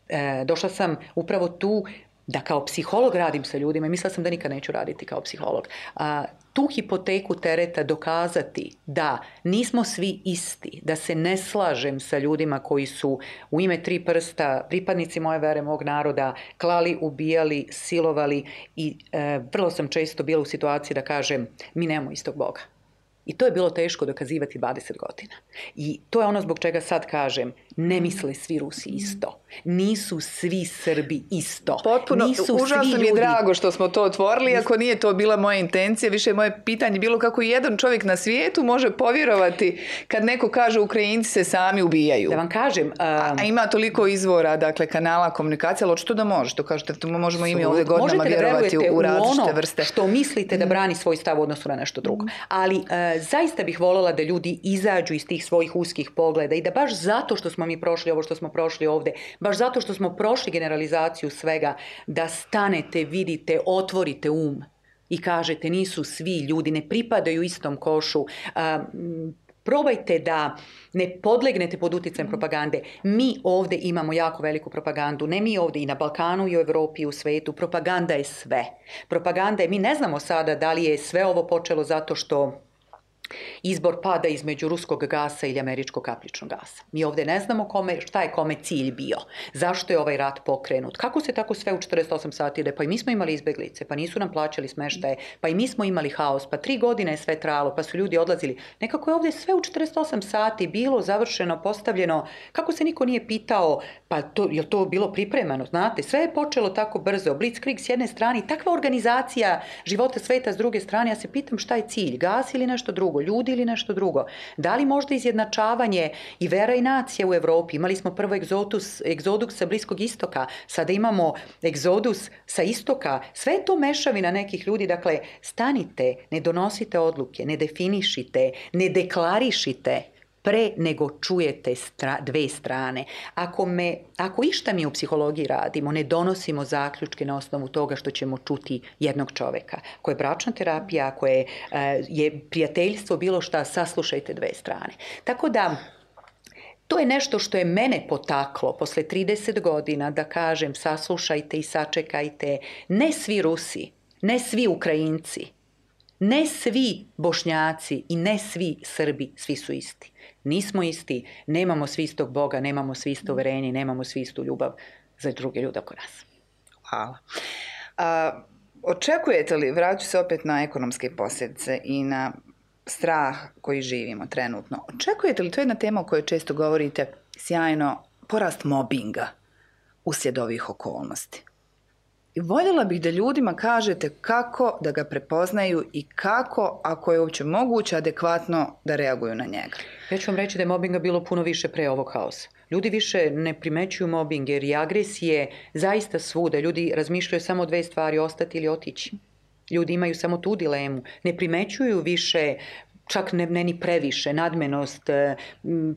E, došla sam upravo tu da kao psiholog radim sa ljudima i mislila sam da nikad neću raditi kao psiholog. A, tu hipoteku tereta dokazati da nismo svi isti, da se ne slažem sa ljudima koji su u ime tri prsta, pripadnici moje vere, mog naroda, klali, ubijali, silovali i e, vrlo sam često bila u situaciji da kažem mi nemamo istog Boga. I to je bilo teško dokazivati dvadeset godina. I to je ono zbog čega sad kažem, ne misle svi Rusi isto. Nisu svi Srbi isto. Potpuno, Nisu užasno mi je ljudi... drago što smo to otvorili, ako nije to bila moja intencija, više je moje pitanje bilo kako jedan čovjek na svijetu može povjerovati kad neko kaže Ukrajinci se sami ubijaju. Da vam kažem... Um... A, a ima toliko izvora, dakle, kanala komunikacije, ali očito da može, to kažete, to možemo i mi ovdje godinama vjerovati u, u različite vrste. Što mislite da brani svoj stav u odnosu na nešto drugo. Ali uh, zaista bih voljela da ljudi izađu iz tih svojih uskih pogleda i da baš zato što smo mi prošli ovo što smo prošli ovdje, baš zato što smo prošli generalizaciju svega, da stanete, vidite, otvorite um i kažete nisu svi ljudi, ne pripadaju istom košu. Um, Probajte da ne podlegnete pod utjecajem propagande. Mi ovdje imamo jako veliku propagandu. Ne mi ovdje, i na Balkanu, i u Europi, i u svetu. Propaganda je sve. Propaganda je, mi ne znamo sada da li je sve ovo počelo zato što izbor pada između ruskog gasa ili američkog kapličnog gasa. Mi ovdje ne znamo kome, šta je kome cilj bio. Zašto je ovaj rat pokrenut? Kako se tako sve u četrdeset osam sati ide? Pa i mi smo imali izbeglice, pa nisu nam plaćali smeštaje, pa i mi smo imali haos, pa tri godine je sve trajalo, pa su ljudi odlazili. Nekako je ovdje sve u četrdeset osam sati bilo završeno, postavljeno. Kako se niko nije pitao, pa to, je li to bilo pripremano? Znate, sve je počelo tako brzo. Blitzkrieg s jedne strane i takva organizacija života sveta s druge strane. Ja se pitam šta je cilj, gas ili nešto drugo, ljudi ili nešto drugo. Da li možda izjednačavanje i vera i nacija u Europi? Imali smo prvo egzodus, egzodus sa Bliskog istoka, sada imamo egzodus sa istoka. Sve je to mešavina nekih ljudi. Dakle, stanite, ne donosite odluke, ne definišite, ne deklarišite pre nego čujete stra, dve strane. Ako, me, ako išta mi u psihologiji radimo, ne donosimo zaključke na osnovu toga što ćemo čuti jednog čoveka. Ako je bračna terapija, ako je, je prijateljstvo, bilo šta, saslušajte dve strane. Tako da, to je nešto što je mene potaklo posle trideset godina da kažem saslušajte i sačekajte. Ne svi Rusi, ne svi Ukrajinci, ne svi Bošnjaci i ne svi Srbi, svi su isti. Nismo isti, nemamo svi istog Boga, nemamo svi isto uverenje, nemamo svi istu ljubav za druge ljude oko nas. Hvala. A, očekujete li, vraću se opet na ekonomske posljedice i na strah koji živimo trenutno, očekujete li, to je jedna tema o kojoj često govorite, sjajno, porast mobinga uslijed ovih okolnosti? I voljela bih da ljudima kažete kako da ga prepoznaju i kako, ako je uopće moguće, adekvatno da reaguju na njega. Ja ću vam reći da je mobinga bilo puno više pre ovog haosa. Ljudi više ne primećuju mobbing jer i agresije zaista svuda. Ljudi razmišljaju samo o dve stvari, ostati ili otići. Ljudi imaju samo tu dilemu. Ne primećuju više, čak ne, ne ni previše, nadmenost,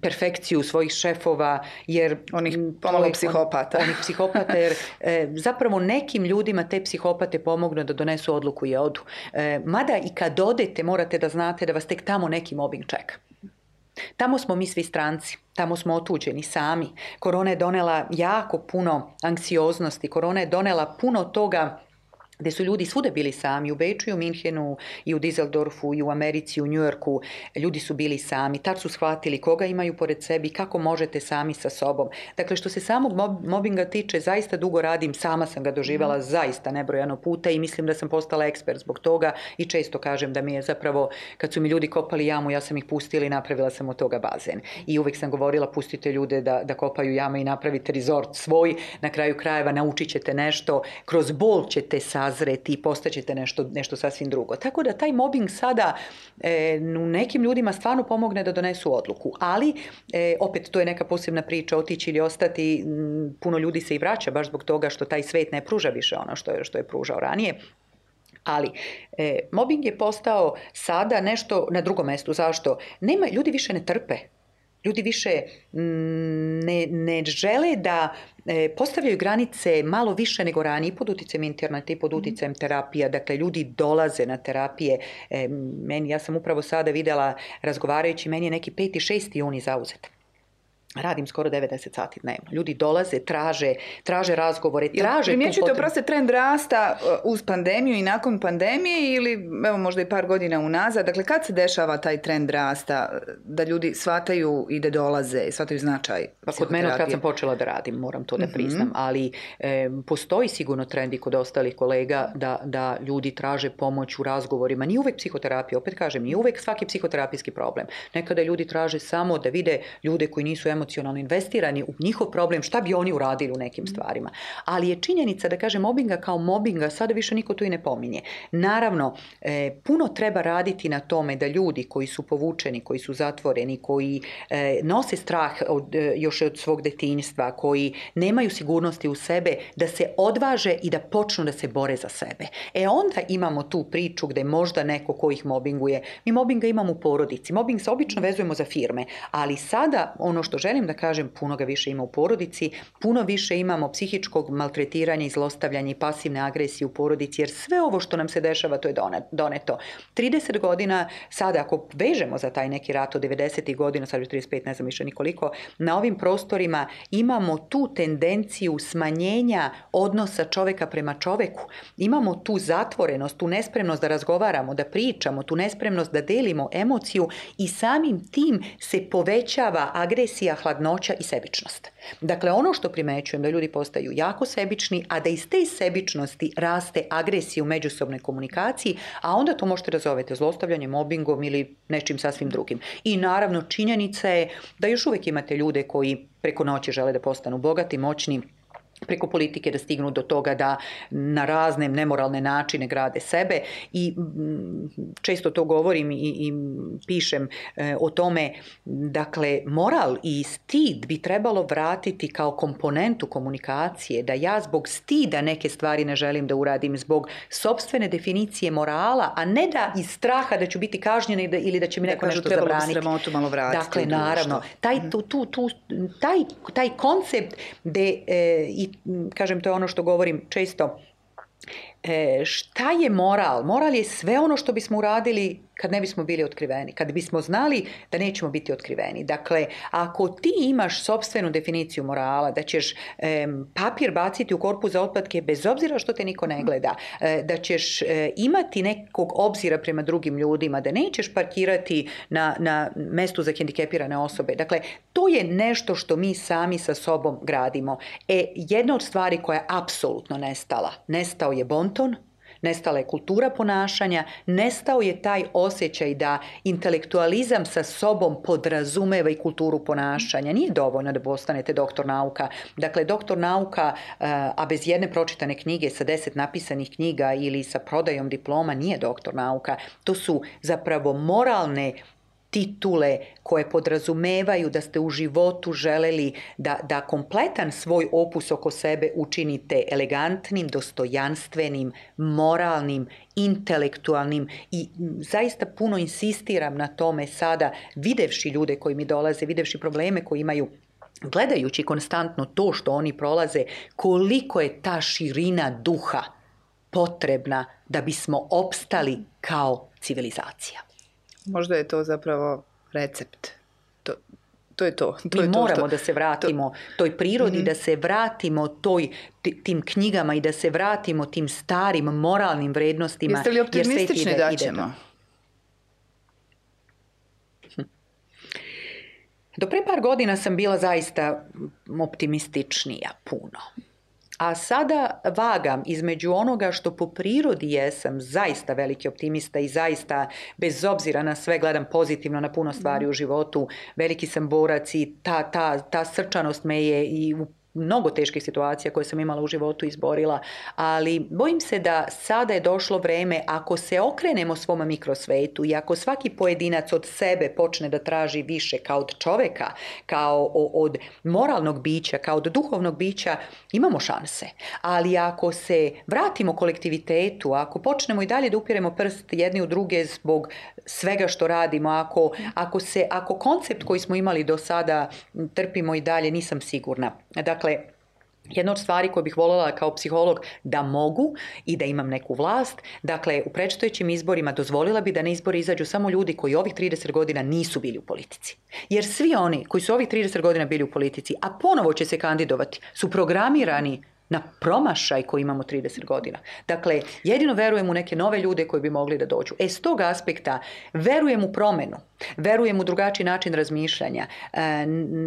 perfekciju svojih šefova, jer... Onih pomalo psihopata. On, onih psihopata, jer e, zapravo nekim ljudima te psihopate pomognu da donesu odluku i odu. E, mada i kad odete morate da znate da vas tek tamo neki mobbing čeka. Tamo smo mi svi stranci, tamo smo otuđeni sami. Korona je donela jako puno anksioznosti, korona je donela puno toga gdje su ljudi svude bili sami, u Beču i u Minhenu i u Düsseldorfu i u Americi, u Njujorku, ljudi su bili sami. Tad su shvatili koga imaju pored sebi, kako možete sami sa sobom. Dakle, što se samog mobinga tiče, zaista dugo radim, sama sam ga doživjela zaista nebrojano puta i mislim da sam postala ekspert zbog toga i često kažem da mi je zapravo, kad su mi ljudi kopali jamu, ja sam ih pustila i napravila sam od toga bazen. I uvijek sam govorila, pustite ljude da, da kopaju jame i napravite resort svoj, na kraju krajeva naučit ćete nešto, kroz bol ćete sa sazreti i postaćete nešto, nešto sasvim drugo. Tako da taj mobbing sada e, u nekim ljudima stvarno pomogne da donesu odluku, ali e, opet to je neka posebna priča, otići ili ostati. M, puno ljudi se i vraća baš zbog toga što taj svet ne pruža više ono što je, što je pružao ranije. Ali e, mobbing je postao sada nešto na drugom mjestu. Zašto? Nema, ljudi više ne trpe. Ljudi više ne, ne žele da e, postavljaju granice malo više nego ranije i pod utjecajem interneta i pod utjecajem terapija. Dakle, ljudi dolaze na terapije. E, meni, ja sam upravo sada vidjela, razgovarajući, meni je neki peti, šesti juni zauzet. Radim skoro devedeset sati dnevno. Ljudi dolaze, traže, traže razgovore, traže... Primjećujete oprosti trend rasta uz pandemiju i nakon pandemije ili evo možda i par godina unazad? Dakle, kad se dešava taj trend rasta da ljudi shvataju i da dolaze, shvataju značaj pa kod mene kad sam počela da radim, moram to da priznam, mm-hmm. ali e, postoji sigurno trend i kod ostalih kolega da, da ljudi traže pomoć u razgovorima. Nije uvek psihoterapija, opet kažem, nije uvek svaki psihoterapijski problem. Nekada ljudi traže samo da vide ljude koji nisu emocionalni investirani u njihov problem, šta bi oni uradili u nekim stvarima. Ali je činjenica da kažem mobinga kao mobinga sada više niko tu i ne pominje. Naravno, e, puno treba raditi na tome da ljudi koji su povučeni, koji su zatvoreni, koji e, nose strah od, e, još od svog detinjstva, koji nemaju sigurnosti u sebe, da se odvaže i da počnu da se bore za sebe. E onda imamo tu priču gde možda neko ko ih mobinguje. Mi mobinga imamo u porodici. Mobing se obično vezujemo za firme, ali sada ono što želim da kažem, puno ga više ima u porodici, puno više imamo psihičkog maltretiranja i zlostavljanja i pasivne agresije u porodici, jer sve ovo što nam se dešava, to je doneto. trideset godina, sada ako vežemo za taj neki rat od devedesetih godina, sad je trideset pet, ne znam više nikoliko, na ovim prostorima imamo tu tendenciju smanjenja odnosa čoveka prema čoveku. Imamo tu zatvorenost, tu nespremnost da razgovaramo, da pričamo, tu nespremnost da delimo emociju i samim tim se povećava agresija, hladnoća i sebičnost. Dakle, ono što primećujem da ljudi postaju jako sebični, a da iz te sebičnosti raste agresija u međusobnoj komunikaciji, a onda to možete da zovete zlostavljanjem, mobingom ili nečim sasvim drugim. I naravno činjenica je da još uvijek imate ljude koji preko noći žele da postanu bogati, moćni, preko politike da stignu do toga da na razne nemoralne načine grade sebe i često to govorim i, i pišem e, o tome, dakle moral i stid bi trebalo vratiti kao komponentu komunikacije, da ja zbog stida neke stvari ne želim da uradim, zbog sopstvene definicije morala, a ne da iz straha da ću biti kažnjena ili da će mi neko da, nešto zabraniti. Sramotu malo vratiti. Dakle, naravno, taj, tu, tu, tu, taj, taj koncept gde e, i kažem, to je ono što govorim često, e, šta je moral? Moral je sve ono što bismo uradili kad ne bismo bili otkriveni, kad bismo znali da nećemo biti otkriveni. Dakle, ako ti imaš sopstvenu definiciju morala, da ćeš e, papir baciti u korpu za otpadke bez obzira što te niko ne gleda, e, da ćeš e, imati nekog obzira prema drugim ljudima, da nećeš parkirati na, na mestu za hendikepirane osobe. Dakle, to je nešto što mi sami sa sobom gradimo. E, jedna od stvari koja je apsolutno nestala, nestao je bonton, nestala je kultura ponašanja, nestao je taj osjećaj da intelektualizam sa sobom podrazumeva i kulturu ponašanja. Nije dovoljno da postanete doktor nauka. Dakle, doktor nauka, a bez jedne pročitane knjige, sa deset napisanih knjiga ili sa prodajom diploma, nije doktor nauka. To su zapravo moralne titule koje podrazumevaju da ste u životu želeli da, da kompletan svoj opus oko sebe učinite elegantnim, dostojanstvenim, moralnim, intelektualnim i zaista puno insistiram na tome sada, videvši ljude koji mi dolaze, videvši probleme koji imaju, gledajući konstantno to što oni prolaze, koliko je ta širina duha potrebna da bismo opstali kao civilizacija. Možda je to zapravo recept To, to je to. to Mi je to moramo što, da se vratimo to... toj prirodi, mm-hmm. da se vratimo toj, tim knjigama i da se vratimo tim starim moralnim vrednostima. Jeste li optimistični ide, da ćemo? Hm. Do pre par godina sam bila zaista optimističnija puno. A sada vagam između onoga što po prirodi jesam zaista veliki optimista i zaista bez obzira na sve gledam pozitivno na puno stvari u životu. Veliki sam borac i ta, ta, ta srčanost me je i u mnogo teških situacija koje sam imala u životu izborila, ali bojim se da sada je došlo vreme, ako se okrenemo svom mikrosvetu i ako svaki pojedinac od sebe počne da traži više kao od čoveka, kao od moralnog bića, kao od duhovnog bića, imamo šanse. Ali ako se vratimo kolektivitetu, ako počnemo i dalje da upiremo prst jedni u druge zbog svega što radimo, ako, ako, se, ako koncept koji smo imali do sada trpimo i dalje, nisam sigurna. Dakle, Dakle, jedna od stvari koju bih voljela kao psiholog da mogu i da imam neku vlast, dakle, u predstojećim izborima dozvolila bi da na izbore izađu samo ljudi koji ovih trideset godina nisu bili u politici. Jer svi oni koji su ovih trideset godina bili u politici, a ponovo će se kandidovati, su programirani na promašaj koji imamo trideset godina. Dakle, jedino verujem u neke nove ljude koji bi mogli da dođu. E, s tog aspekta verujem u promenu, verujem u drugačiji način razmišljanja, e,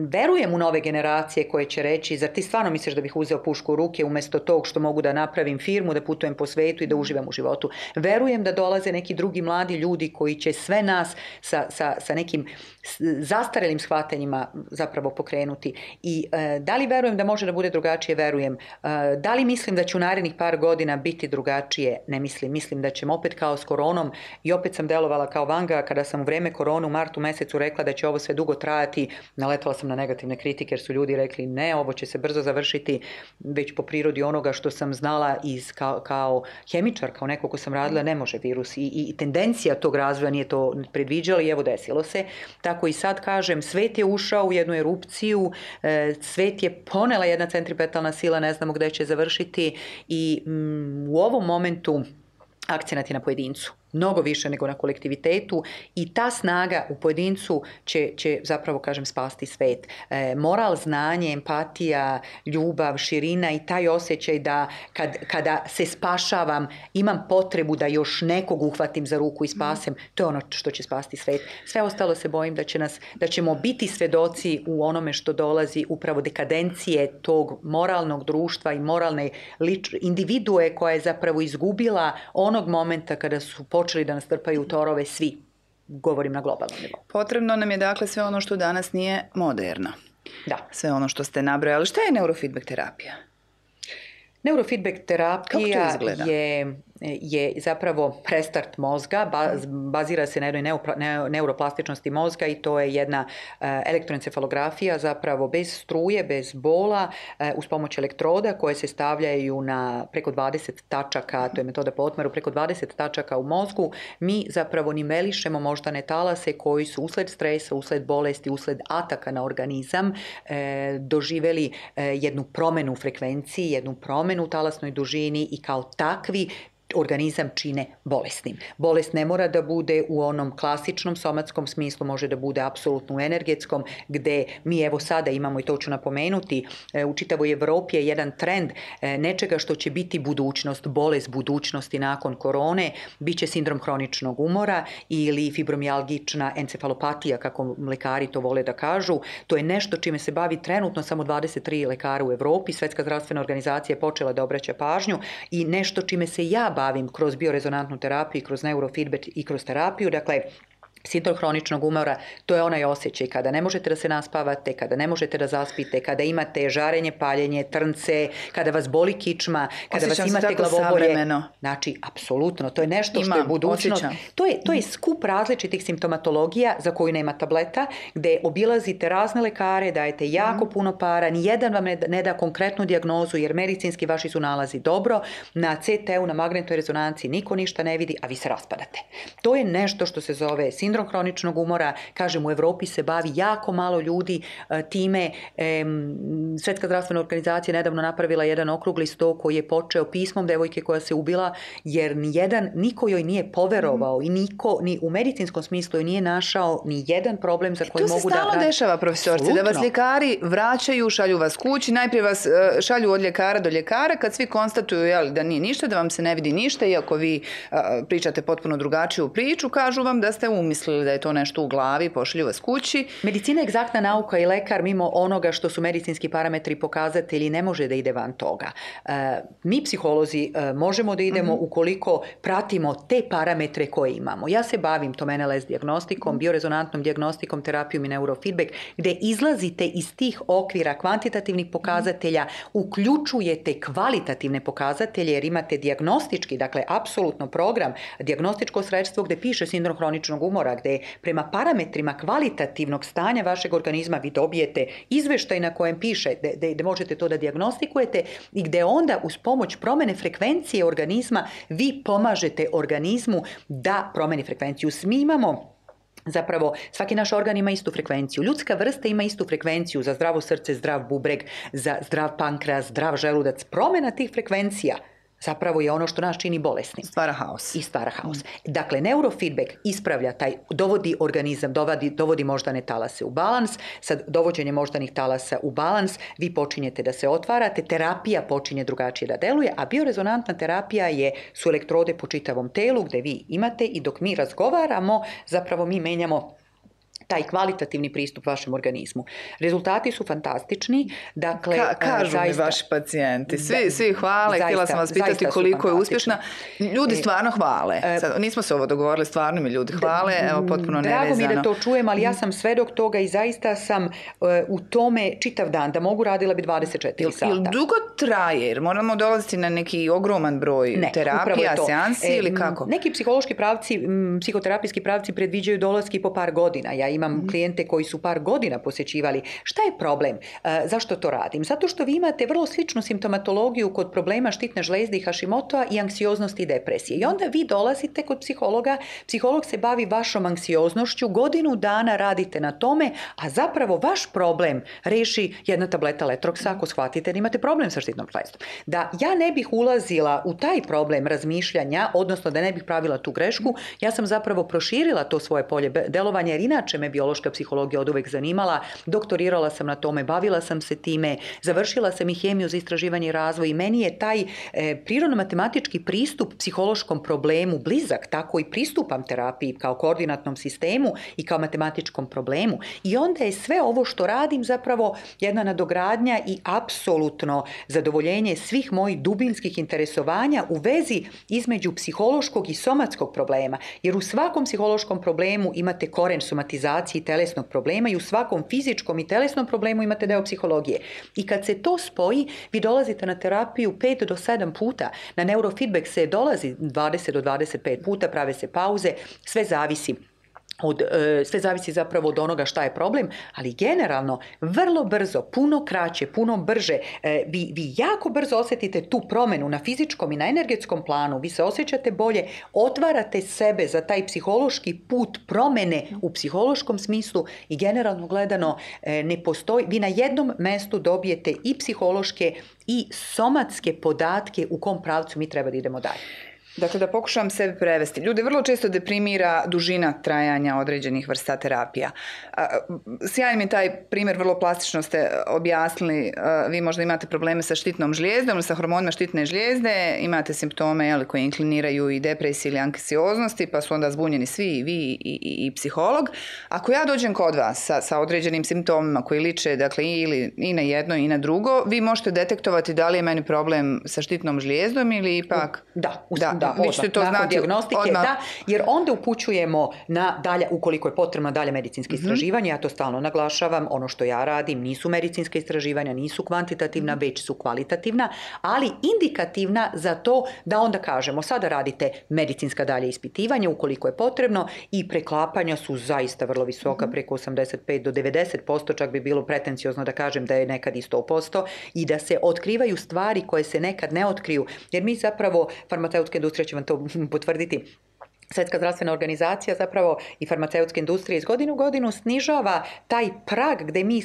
verujem u nove generacije koje će reći, zar ti stvarno misliš da bih uzeo pušku u ruke umjesto tog što mogu da napravim firmu, da putujem po svetu i da uživam u životu. Verujem da dolaze neki drugi mladi ljudi koji će sve nas sa, sa, sa nekim zastarelim shvatanjima zapravo pokrenuti. I e, da li verujem da može da bude drugačije? Verujem. Da li mislim da će u narednih par godina biti drugačije? Ne mislim. Mislim da ćemo opet kao s koronom i opet sam delovala kao Vanga kada sam u vreme korone u martu mesecu rekla da će ovo sve dugo trajati. Naletala sam na negativne kritike jer su ljudi rekli ne, ovo će se brzo završiti, već po prirodi onoga što sam znala iz, kao, kao hemičar, kao neko ko sam radila, ne može virus. I, i tendencija tog razvoja nije to predviđala i evo desilo se. Tako i sad kažem, svet je ušao u jednu erupciju, svet je ponela jedna centripetalna sila, ne znamo gde će završiti i mm, u ovom momentu akcenat je na pojedincu. Mnogo više nego na kolektivitetu i ta snaga u pojedincu će, će zapravo, kažem, spasti svet. E, moral, znanje, empatija, ljubav, širina i taj osjećaj da kad, kada se spašavam imam potrebu da još nekog uhvatim za ruku i spasem, to je ono što će spasti svet. Sve ostalo se bojim da će nas, da ćemo biti svedoci u onome što dolazi upravo dekadencije tog moralnog društva i moralne lič, individue koja je zapravo izgubila onog momenta kada su počeli da nas trpaju u torove svi, govorim na globalnom nivou. Potrebno nam je dakle sve ono što danas nije moderno. Da. Sve ono što ste nabrojali. Šta je neurofeedback terapija? Neurofeedback terapija je, je zapravo restart mozga, bazira se na jednoj neuroplastičnosti mozga i to je jedna elektroencefalografija zapravo bez struje, bez bola, uz pomoć elektroda koje se stavljaju na preko dvadeset tačaka, to je metoda po otmeru, preko dvadeset tačaka u mozgu. Mi zapravo nivelišemo moždane talase koji su usled stresa, usled bolesti, usled ataka na organizam doživeli jednu promenu u frekvenciji, jednu promenu u talasnoj dužini i kao takvi organizam čine bolesnim. Bolest ne mora da bude u onom klasičnom somatskom smislu, može da bude apsolutno u energetskom, gde mi evo sada imamo, i to ću napomenuti, u čitavoj Evropi je jedan trend nečega što će biti budućnost, bolest budućnosti nakon korone, bit će sindrom hroničnog umora ili fibromijalgična encefalopatija, kako lekari to vole da kažu. To je nešto čime se bavi trenutno samo dvadeset tri lekara u Evropi, Svetska zdravstvena organizacija je počela da obraća pažnju i nešto čime se ja bavim kroz biorezonantnu terapiju, kroz neurofeedback i kroz terapiju. Dakle, sindrom hroničnog umora, to je onaj osjećaj kada ne možete da se naspavate, kada ne možete da zaspite, kada imate žarenje, paljenje, trnce, kada vas boli kičma, kada osjećam vas imate glavobolje. Savremeno. Znači, apsolutno, to je nešto Imam, što je budućnost. To je, to je skup različitih simptomatologija za koju nema tableta, gde obilazite razne lekare, dajete jako mm. puno para, nijedan vam ne da, ne da konkretnu dijagnozu, jer medicinski vaši su nalazi dobro, na C T U, na magnetnoj rezonanciji niko ništa ne vidi, a vi se raspadate. To je nešto što se zove sindrom Sindrom hroničnog umora, kažem, u Europi se bavi jako malo ljudi time. Svjetska zdravstvena organizacija nedavno napravila jedan okrugli sto koji je počeo pismom devojke koja se ubila, jer nijedan, niko joj nije poverovao i niko ni u medicinskom smislu joj nije našao ni jedan problem za koji mogu da... To se stalno dešava, profesorci, da vas ljekari vraćaju, šalju vas kući, najprije vas šalju od ljekara do ljekara, kad svi konstatuju jel, da nije ništa, da vam se ne vidi ništa, iako vi a, pričate potpuno drugačiju priču, kažu vam da ste umislili da je to nešto u glavi, pošalju vas kući. Medicina je egzaktna nauka i lekar mimo onoga što su medicinski parametri i pokazatelji ne može da ide van toga. E, mi psiholozi e, možemo da idemo mm-hmm. ukoliko pratimo te parametre koje imamo. Ja se bavim tom en el es dijagnostikom, mm-hmm. biorezonantnom dijagnostikom, terapijom i neurofeedback, gde izlazite iz tih okvira kvantitativnih pokazatelja, uključujete kvalitativne pokazatelje jer imate dijagnostički, dakle apsolutno program, dijagnostičko sredstvo gde piše sindrom hroničnog umora, gde prema parametrima kvalitativnog stanja vašeg organizma vi dobijete izveštaj na kojem piše gde, gde možete to da dijagnostikujete i gde onda uz pomoć promene frekvencije organizma vi pomažete organizmu da promeni frekvenciju. Mi imamo Zapravo, svaki naš organ ima istu frekvenciju. Ljudska vrsta ima istu frekvenciju za zdravo srce, zdrav bubreg, za zdrav pankreas, zdrav želudac. Promjena tih frekvencija zapravo je ono što nas čini bolesnim. Stvara haos. I stvara haos. Mm. Dakle, neurofeedback ispravlja taj, dovodi organizam, dovodi, dovodi moždane talase u balans. Sad, dovođenje moždanih talasa u balans, vi počinjete da se otvarate, terapija počinje drugačije da deluje, a biorezonantna terapija je, su elektrode po čitavom telu gde vi imate i dok mi razgovaramo, zapravo mi menjamo taj kvalitativni pristup vašem organizmu. Rezultati su fantastični. Dakle, Ka, kažu zaista, mi vaši pacijenti. Svi, da, svi hvale. Htjela sam vas pitati koliko je uspješna. Ljudi stvarno hvale. Sad, nismo se ovo dogovorili, stvarno mi ljudi hvale. Evo, potpuno Drago nevezano. Drago mi da to čujem, ali ja sam svedok toga i zaista sam uh, u tome čitav dan. Da mogu radila bi dvadeset četiri sata. Ili dugo traje? Jer moramo dolaziti na neki ogroman broj ne, terapija, seansi ili kako? Neki psihološki pravci, psihoterapijski pravci predviđaju dolaski po par godina. Ja imam mm. klijente koji su par godina posjećivali. Šta je problem? E, zašto to radim? Zato što vi imate vrlo sličnu simptomatologiju kod problema štitne žlezde i Hashimotoa i anksioznosti i depresije. I onda vi dolazite kod psihologa, psiholog se bavi vašom anksioznošću, godinu dana radite na tome, a zapravo vaš problem reši jedna tableta Letroksa ako shvatite da imate problem sa štitnom žlezdom. Da ja ne bih ulazila u taj problem razmišljanja, odnosno da ne bih pravila tu grešku, ja sam zapravo proširila to svoje polje delovanja, jer inače me biološka psihologija od uvek zanimala, doktorirala sam na tome, bavila sam se time, završila sam i hemiju za istraživanje i razvoj i meni je taj e, prirodno-matematički pristup psihološkom problemu blizak, tako i pristupam terapiji kao koordinatnom sistemu i kao matematičkom problemu. I onda je sve ovo što radim zapravo jedna nadogradnja i apsolutno zadovoljenje svih mojih dubinskih interesovanja u vezi između psihološkog i somatskog problema. Jer u svakom psihološkom problemu imate koren somatizacije i telesnog problema i u svakom fizičkom i telesnom problemu imate deo psihologije. I kad se to spoji, vi dolazite na terapiju pet do sedam puta. Na neurofeedback se dolazi dvadeset do dvadeset pet puta, prave se pauze, sve zavisi. Od, sve zavisi zapravo od onoga šta je problem, ali generalno vrlo brzo, puno kraće, puno brže, vi, vi jako brzo osjetite tu promjenu na fizičkom i na energetskom planu, vi se osjećate bolje, otvarate sebe za taj psihološki put promjene u psihološkom smislu i generalno gledano ne postoji, vi na jednom mestu dobijete i psihološke i somatske podatke u kom pravcu mi treba da idemo dalje. Dakle, da pokušam sebe prevesti. Ljude vrlo često deprimira dužina trajanja određenih vrsta terapija. Sjajan mi je taj primjer, vrlo plastično ste objasnili. Vi možda imate probleme sa štitnom žlijezdom ili sa hormonima štitne žlijezde, imate simptome jeli, koji inkliniraju i depresiji ili anksioznosti, pa su onda zbunjeni svi, i vi i, i, i psiholog. Ako ja dođem kod vas sa, sa određenim simptomima koji liče dakle, ili, i na jedno i na drugo, vi možete detektovati da li je meni problem sa štitnom žlijezdom ili ipak... Da, u, da. da. Vi ćete to nakon znati dijagnostike, odmah. Da, jer onda upućujemo na dalje, ukoliko je potrebno dalje medicinske mm-hmm. istraživanja, ja to stalno naglašavam, ono što ja radim nisu medicinske istraživanja, nisu kvantitativna, mm-hmm. već su kvalitativna, ali indikativna za to da onda kažemo, sada radite medicinska dalje ispitivanja ukoliko je potrebno i preklapanja su zaista vrlo visoka, mm-hmm. preko osamdeset pet do devedeset posto, čak bi bilo pretenciozno da kažem da je nekad i sto posto i da se otkrivaju stvari koje se nekad ne otkriju, jer mi zapravo, farmaceutska industrija će vam to potvrditi, Svjetska zdravstvena organizacija zapravo i farmaceutska industrija iz godine u godinu snižava taj prag gdje mi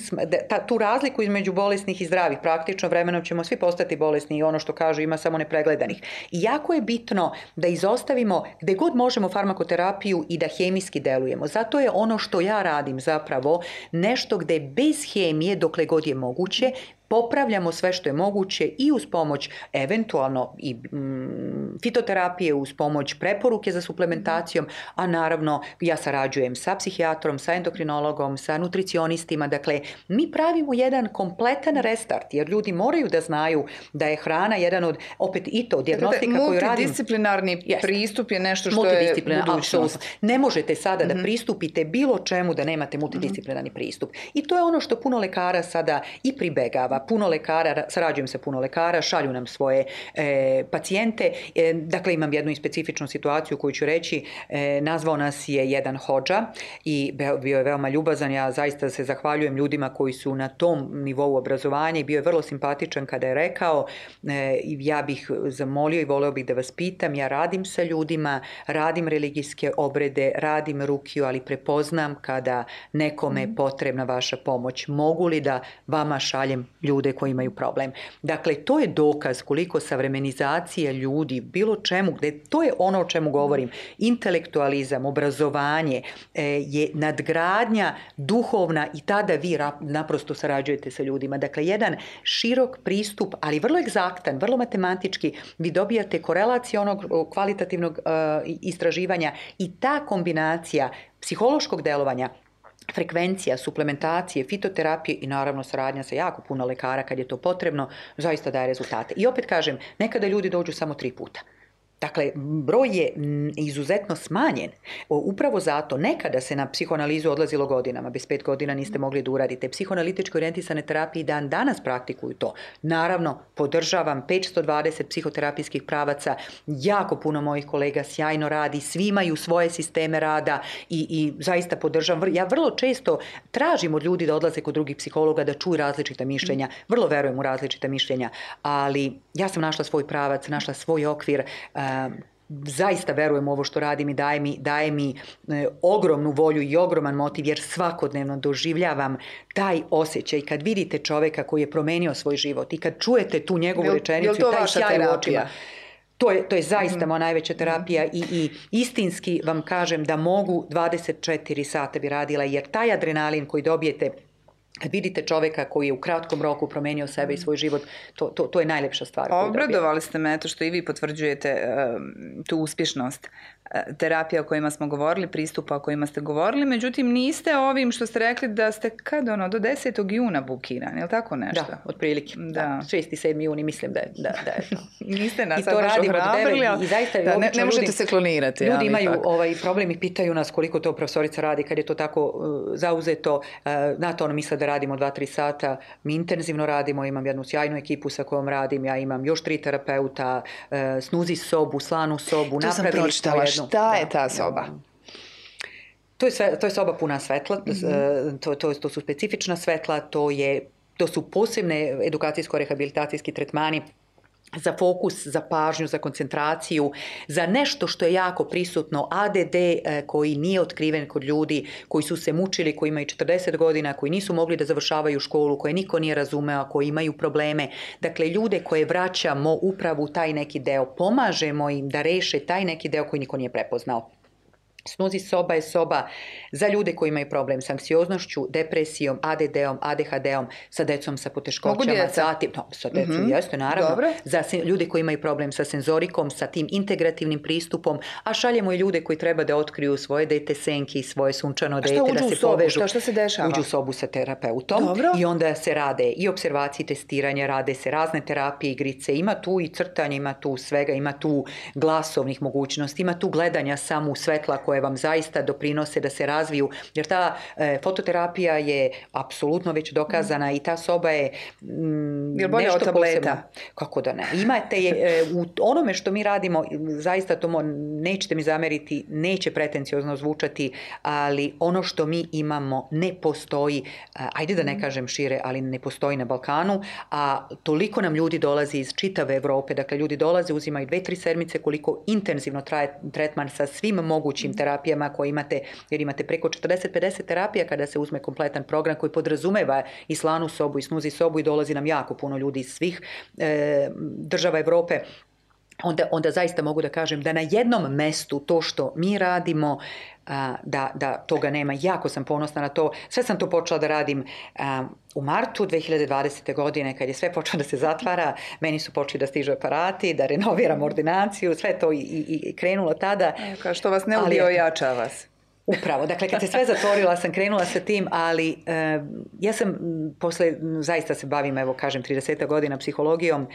ta, tu razliku između bolesnih i zdravih. Praktično vremenom ćemo svi postati bolesni i ono što kažu ima samo nepregledanih. I jako je bitno da izostavimo gdje god možemo farmakoterapiju i da hemijski delujemo. Zato je ono što ja radim zapravo nešto gdje bez hemije dokle god je moguće popravljamo sve što je moguće i uz pomoć eventualno i mm, fitoterapije, uz pomoć preporuke za suplementacijom, a naravno ja sarađujem sa psihijatrom, sa endokrinologom, sa nutricionistima. Dakle, mi pravimo jedan kompletan restart, jer ljudi moraju da znaju da je hrana jedan od, opet i to, dijagnostika koju radim. Multidisciplinarni yes. pristup je nešto što je budućnost. Ne možete sada mm-hmm. da pristupite bilo čemu da nemate multidisciplinarni mm-hmm. pristup. I to je ono što puno lekara sada i pribegava. Puno lekara, sarađujem sa puno lekara, šalju nam svoje e, pacijente. E, dakle, imam jednu specifičnu situaciju koju ću reći. E, nazvao nas je jedan hodža i bio je veoma ljubazan. Ja zaista se zahvaljujem ljudima koji su na tom nivou obrazovanja i bio je vrlo simpatičan kada je rekao e, ja bih zamolio i voleo bih da vas pitam, ja radim sa ljudima, radim religijske obrede, radim rukiju, ali prepoznam kada nekome je potrebna vaša pomoć. Mogu li da vama šaljem ljude koji imaju problem? Dakle, to je dokaz koliko savremenizacija ljudi, bilo čemu, gde, to je ono o čemu govorim. Intelektualizam, obrazovanje e, je nadgradnja duhovna i tada vi rap, naprosto sarađujete sa ljudima. Dakle, jedan širok pristup, ali vrlo egzaktan, vrlo matematički, vi dobijate korelaciju onog kvalitativnog e, istraživanja i ta kombinacija psihološkog delovanja, frekvencija, suplementacije, fitoterapije i naravno saradnja sa jako puno lekara kad je to potrebno, zaista daje rezultate. I opet kažem, nekada ljudi dođu samo tri puta. Dakle, broj je izuzetno smanjen. Upravo zato, nekada se na psihoanalizu odlazilo godinama, bez pet godina niste mogli da uradite. Psihoanalitičko orijentisane terapije dan danas praktikuju to. Naravno, podržavam petsto dvadeset psihoterapijskih pravaca, jako puno mojih kolega sjajno radi, svi imaju svoje sisteme rada i, i zaista podržavam. Ja vrlo često tražim od ljudi da odlaze kod drugih psihologa, da čuju različita mišljenja, vrlo verujem u različita mišljenja, ali ja sam našla svoj pravac, našla svoj okvir. Um, zaista verujem u ovo što radim i daje mi, daje mi e, ogromnu volju i ogroman motiv, jer svakodnevno doživljavam taj osjećaj kad vidite čoveka koji je promenio svoj život i kad čujete tu njegovu jel, rečenicu jel i taj sjaj u očima. To je, to je zaista mm-hmm. moja najveća terapija i, i istinski vam kažem da mogu dvadeset četiri sata bi radila, jer taj adrenalin koji dobijete kad vidite čoveka koji je u kratkom roku promenio sebe i svoj život, to, to, to je najlepša stvar. Obradovali ste me to što i vi potvrđujete uh, tu uspješnost uh, terapija o kojima smo govorili, pristupa o kojima ste govorili, međutim niste ovim što ste rekli da ste kad ono, do desetog juna bukirani, je li tako nešto? Da, otprilike. Da. šesti sedmi juni mislim da je, da, da je to. Niste nas sad baš ohrabrili, ali da, ne, ne možete ljudi, se klonirati. Ljudi ali imaju ipak. ovaj problem i pitaju nas koliko to profesorica radi kad je to tako uh, zauzeto. Uh, na to ono misle da radimo dva tri sata, mi intenzivno radimo, imam jednu sjajnu ekipu sa kojom radim, ja imam još tri terapeuta, uh, snuzi sobu, slanu sobu, to napravili sam pročitala, šta da, je ta soba? To je, sve, to je soba puna svetla, mm-hmm. to, to, to su specifična svetla, to, je, to su posebne edukacijsko-rehabilitacijski tretmani za fokus, za pažnju, za koncentraciju, za nešto što je jako prisutno, A D D koji nije otkriven kod ljudi, koji su se mučili, koji imaju četrdeset godina, koji nisu mogli da završavaju školu, koje niko nije razumeo, koji imaju probleme. Dakle, ljude koje vraćamo upravo u taj neki deo, pomažemo im da reše taj neki deo koji niko nije prepoznao. Snuzi soba je soba za ljude koji imaju problem s anksioznošću, depresijom, A D D-om, A D H D-om, sa decom sa poteškoćama, zatim, no, sa decom mm-hmm. jeste naravno, dobro. Za ljude koji imaju problem sa senzorikom, sa tim integrativnim pristupom, a šaljemo i ljude koji treba da otkriju svoje dete senke i svoje sunčano dete, da se sobu, povežu. Šta, šta se dešava? Uđu u sobu sa terapeutom dobro. I onda se rade i observacije, testiranja, rade se razne terapije, igrice, ima tu i crtanje, ima tu svega, ima tu glasovnih mogućnosti, ima tu gledanja samo u svetla koje koje vam zaista doprinose da se razviju, jer ta e, fototerapija je apsolutno već dokazana mm. i ta soba je mm, je bolje od tableta? Posebno. Kako da ne. Imate je, e, u onome što mi radimo, zaista to mo, nećete mi zameriti, neće pretenciozno zvučati, ali ono što mi imamo ne postoji, ajde da ne kažem šire, ali ne postoji na Balkanu, a toliko nam ljudi dolazi iz čitave Evrope, dakle ljudi dolaze, uzimaju dve, tri sedmice, koliko intenzivno traje tretman sa svim mogućim terapijama koje imate, jer imate preko četrdeset do pedeset terapija kada se uzme kompletan program koji podrazumeva i slanu sobu i snuzi sobu i dolazi nam jako puno ljudi iz svih e, država Evrope. Onda, onda zaista mogu da kažem da na jednom mestu to što mi radimo, da, da toga nema. Jako sam ponosna na to. Sve sam to počela da radim u martu dve hiljade dvadesete. godine, kad je sve počelo da se zatvara, meni su počeli da stižu aparati, da renoviram ordinaciju, sve to i, i, i krenulo tada. Kao što vas ne ubio, jača vas. Upravo, dakle kad se sve zatvorila sam krenula sa tim, ali e, ja sam posle, zaista se bavim, evo kažem, trideset godina psihologijom.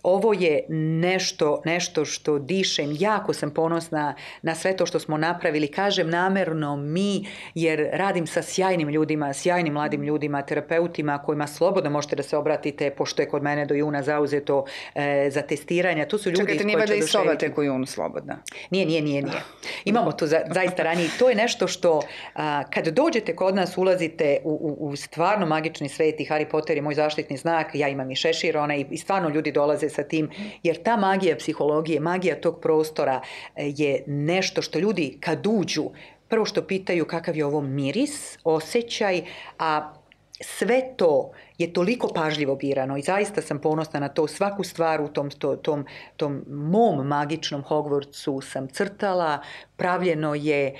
Ovo je nešto, nešto što dišem, jako sam ponosna na sve to što smo napravili, kažem namerno mi, jer radim sa sjajnim ljudima, sjajnim mladim ljudima, terapeutima kojima slobodno možete da se obratite, pošto je kod mene do juna zauzeto e, za testiranja. Tu su ljudi. Čekajte, nije da i soba tek u junu slobodna? Nije, nije, nije, nije. Imamo to za, zaista ranije. To je nešto što a, kad dođete kod nas ulazite u, u, u stvarno magični svet i Harry Potter je moj zaštitni znak, ja imam i šešir, ona i, i stvarno ljudi dolaze sa tim, jer ta magija psihologije, magija tog prostora je nešto što ljudi kad uđu, prvo što pitaju kakav je ovo miris, osjećaj, a sve to je toliko pažljivo birano i zaista sam ponosna na to. Svaku stvar u tom, to, tom, tom mom magičnom Hogwartsu sam crtala, pravljeno je,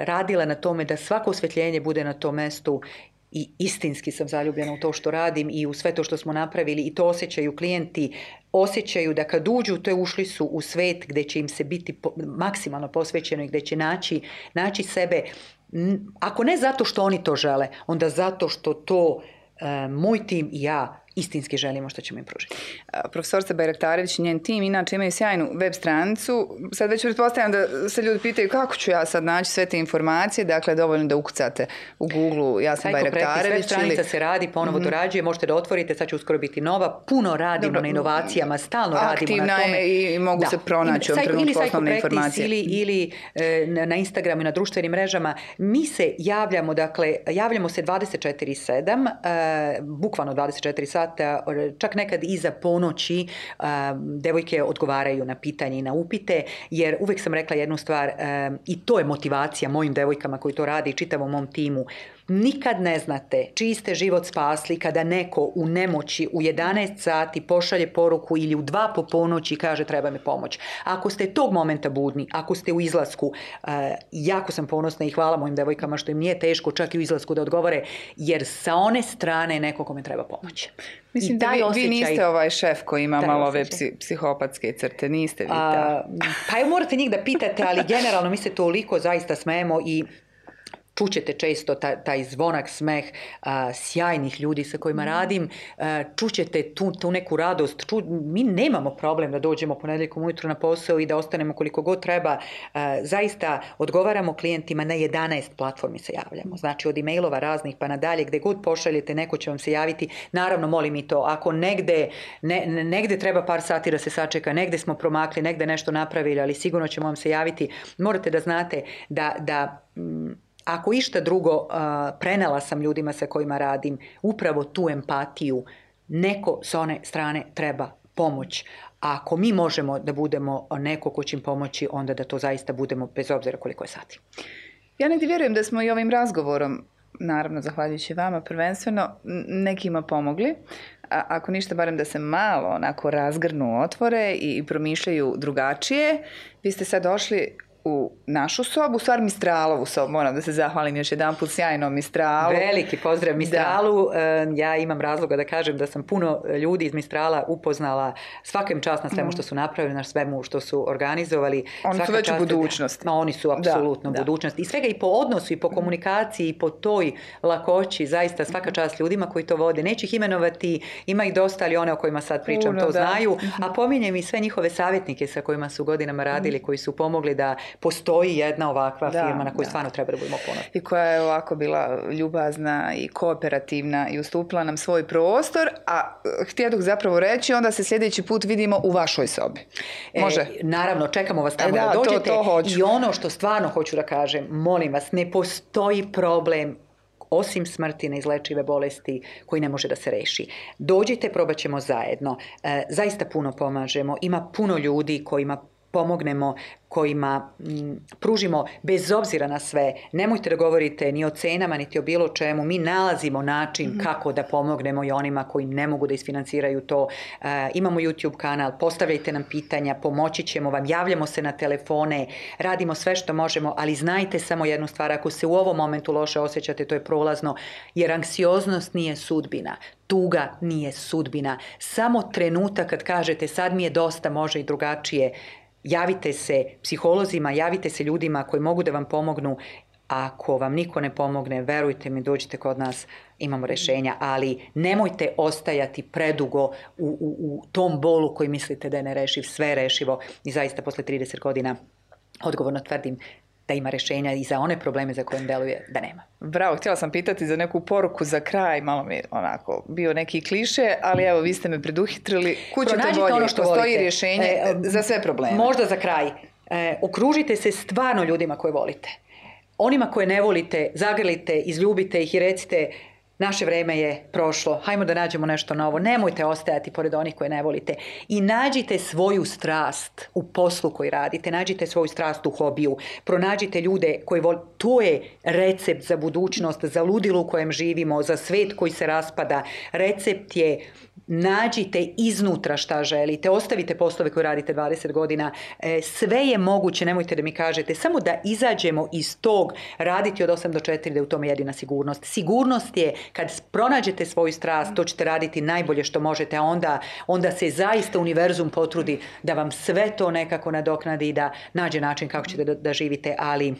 radila na tome da svako osvetljenje bude na tom mestu. I istinski sam zaljubljena u to što radim i u sve to što smo napravili i to osjećaju klijenti, osjećaju da kad uđu, to je ušli su u svet gdje će im se biti po, maksimalno posvećeno i gdje će naći, naći sebe, ako ne zato što oni to žele, onda zato što to e, moj tim i ja istinski želimo što ćemo im pružiti. Profesorica Bajraktarević i njen tim inače imaju sjajnu web stranicu. Sad već pretpostavljam da se ljudi pitaju kako ću ja sad naći sve te informacije. Dakle, dovoljno da ukucate u Google ja sam Bajraktarević. Web stranica ili... se radi, ponovo mm-hmm. dorađuje, možete da otvorite, sad će uskoro biti nova. Puno radimo Dobro. na inovacijama, stalno radimo na tome. Aktivna je i mogu da. se pronaći u ovom trenutku osnovne informacije. Ili, ili e, na Instagramu i na društvenim mrežama. Mi se javljamo, dakle, javljamo se dvadeset četiri sedam, e, bukvalno dvadeset četiri sata, čak nekad iza ponoći devojke odgovaraju na pitanje i na upite, jer uvek sam rekla jednu stvar i to je motivacija mojim devojkama koji to radi i čitavom mom timu. Nikad ne znate čiji ste život spasli kada neko u nemoći u jedanaest sati pošalje poruku ili u dva po ponoći kaže treba mi pomoć. Ako ste tog momenta budni, ako ste u izlasku, jako sam ponosna i hvala mojim devojkama što im nije teško čak i u izlasku da odgovore, jer sa one strane je neko kome treba pomoć. Mislim da vi, osjećaj, vi niste ovaj šef koji ima malo ove psi, psihopatske crte, niste vi ta. Pa evo morate njih da pitate, ali generalno mi se toliko zaista smejemo i čućete često taj, taj zvonak, smeh a, sjajnih ljudi sa kojima radim, a, čućete tu, tu neku radost. Ču, mi nemamo problem da dođemo ponedjeljkom ujutro na posao i da ostanemo koliko god treba. A, zaista odgovaramo klijentima na jedanaest platformi se javljamo. Znači od e-mailova raznih pa nadalje, gde god pošaljete, neko će vam se javiti. Naravno, molim i to, ako negde, ne, negde treba par sati da se sačeka, negde smo promakli, negde nešto napravili, ali sigurno ćemo vam se javiti. Morate da znate da, da m, ako išta drugo, prenela sam ljudima sa kojima radim upravo tu empatiju. Neko s one strane treba pomoć. A ako mi možemo da budemo neko ko će im pomoći, onda da to zaista budemo bez obzira koliko je sati. Ja negdje vjerujem da smo i ovim razgovorom, naravno zahvaljujući vama prvenstveno, nekima pomogli. A ako ništa, barem da se malo onako razgrnu, otvore i promišljaju drugačije. Vi ste sad došli u našu sobu, u stvar Mistralovu sobu, moram da se zahvalim još jedan put sjajnom Mistralu. Veliki pozdrav Mistralu. Da. Ja imam razloga da kažem da sam puno ljudi iz Mistrala upoznala, svaka im čast na svemu što su napravili, na svemu što su organizovali. Oni svaka su već u budućnosti. Ma, oni su apsolutno da, budućnost. Da. I svega i po odnosu, i po komunikaciji, i po toj lakoći, zaista svaka čast ljudima koji to vode. Neću ih imenovati, ima ih dosta, ali one o kojima sad pričam puno, to da. znaju. A pominjem i sve njihove savjetnike sa kojima su godinama radili, koji su pomogli da postoji jedna ovakva da, firma na koju da. stvarno treba da budemo ponosni. I koja je ovako bila ljubazna i kooperativna i ustupila nam svoj prostor, a htjedoh zapravo reći, onda se sljedeći put vidimo u vašoj sobi. Može? E, naravno, čekamo vas tamo e, da, da dođete. To, to hoću. I ono što stvarno hoću da kažem, molim vas, ne postoji problem osim smrti, neizlečive bolesti koji ne može da se reši. Dođite, probat ćemo zajedno. E, zaista puno pomažemo. Ima puno ljudi kojima pomognemo, kojima m, pružimo bez obzira na sve. Nemojte da govorite ni o cenama, niti o bilo čemu. Mi nalazimo način mm-hmm. kako da pomognemo i onima koji ne mogu da isfinanciraju to. E, imamo YouTube kanal, postavljajte nam pitanja, pomoći ćemo vam, javljamo se na telefone, radimo sve što možemo, ali znajte samo jednu stvar, ako se u ovom momentu loše osjećate, to je prolazno, jer anksioznost nije sudbina. Tuga nije sudbina. Samo trenutak kad kažete sad mi je dosta, može i drugačije. Javite se psiholozima, javite se ljudima koji mogu da vam pomognu. Ako vam niko ne pomogne, verujte mi, dođite kod nas, imamo rješenja, ali nemojte ostajati predugo u, u, u tom bolu koji mislite da je nerešiv, sve je rešivo i zaista posle trideset godina odgovorno tvrdim da ima rješenja i za one probleme za koje deluje da nema. Bravo, htjela sam pitati za neku poruku za kraj, malo mi je onako bio neki kliše, ali evo vi ste me preduhitrili. Kućete bolje, ono što postoji volite. Rješenje e, za sve probleme. Možda za kraj. E, okružite se stvarno ljudima koje volite. Onima koje ne volite, zagrlite, izljubite ih i recite naše vreme je prošlo, hajmo da nađemo nešto novo, nemojte ostajati pored onih koje ne volite i nađite svoju strast u poslu koji radite, nađite svoju strast u hobiju, pronađite ljude koji volite, to je recept za budućnost, za ludilo u kojem živimo, za svet koji se raspada, recept je nađite iznutra šta želite, ostavite poslove koje radite dvadeset godina, e, sve je moguće, nemojte da mi kažete, samo da izađemo iz tog raditi od osam do četiri, da je u tome jedina sigurnost. Sigurnost je kad pronađete svoju strast, to ćete raditi najbolje što možete, a onda, onda se zaista univerzum potrudi da vam sve to nekako nadoknadi i da nađe način kako ćete da, da živite, ali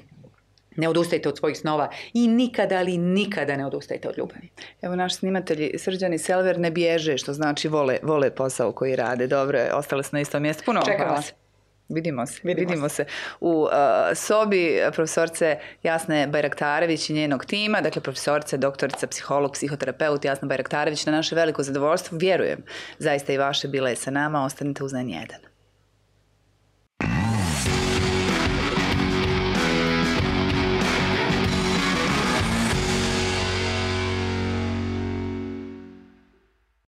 ne odustajte od svojih snova i nikada, ali nikada ne odustajte od ljubavi. Evo naši snimatelji Srđan i Selver ne bježe, što znači vole, vole posao koji rade. Dobro, ostale su na istom mjestu. Puno čekamo vas. Vidimo se, vidimo, vidimo se. se u uh, sobi profesorce Jasne Bajraktarević i njenog tima, dakle profesorce, doktorica, psiholog, psihoterapeut Jasna Bajraktarević, na naše veliko zadovoljstvo, vjerujem, zaista i vaše, bila je sa nama, ostanite uz N jedan.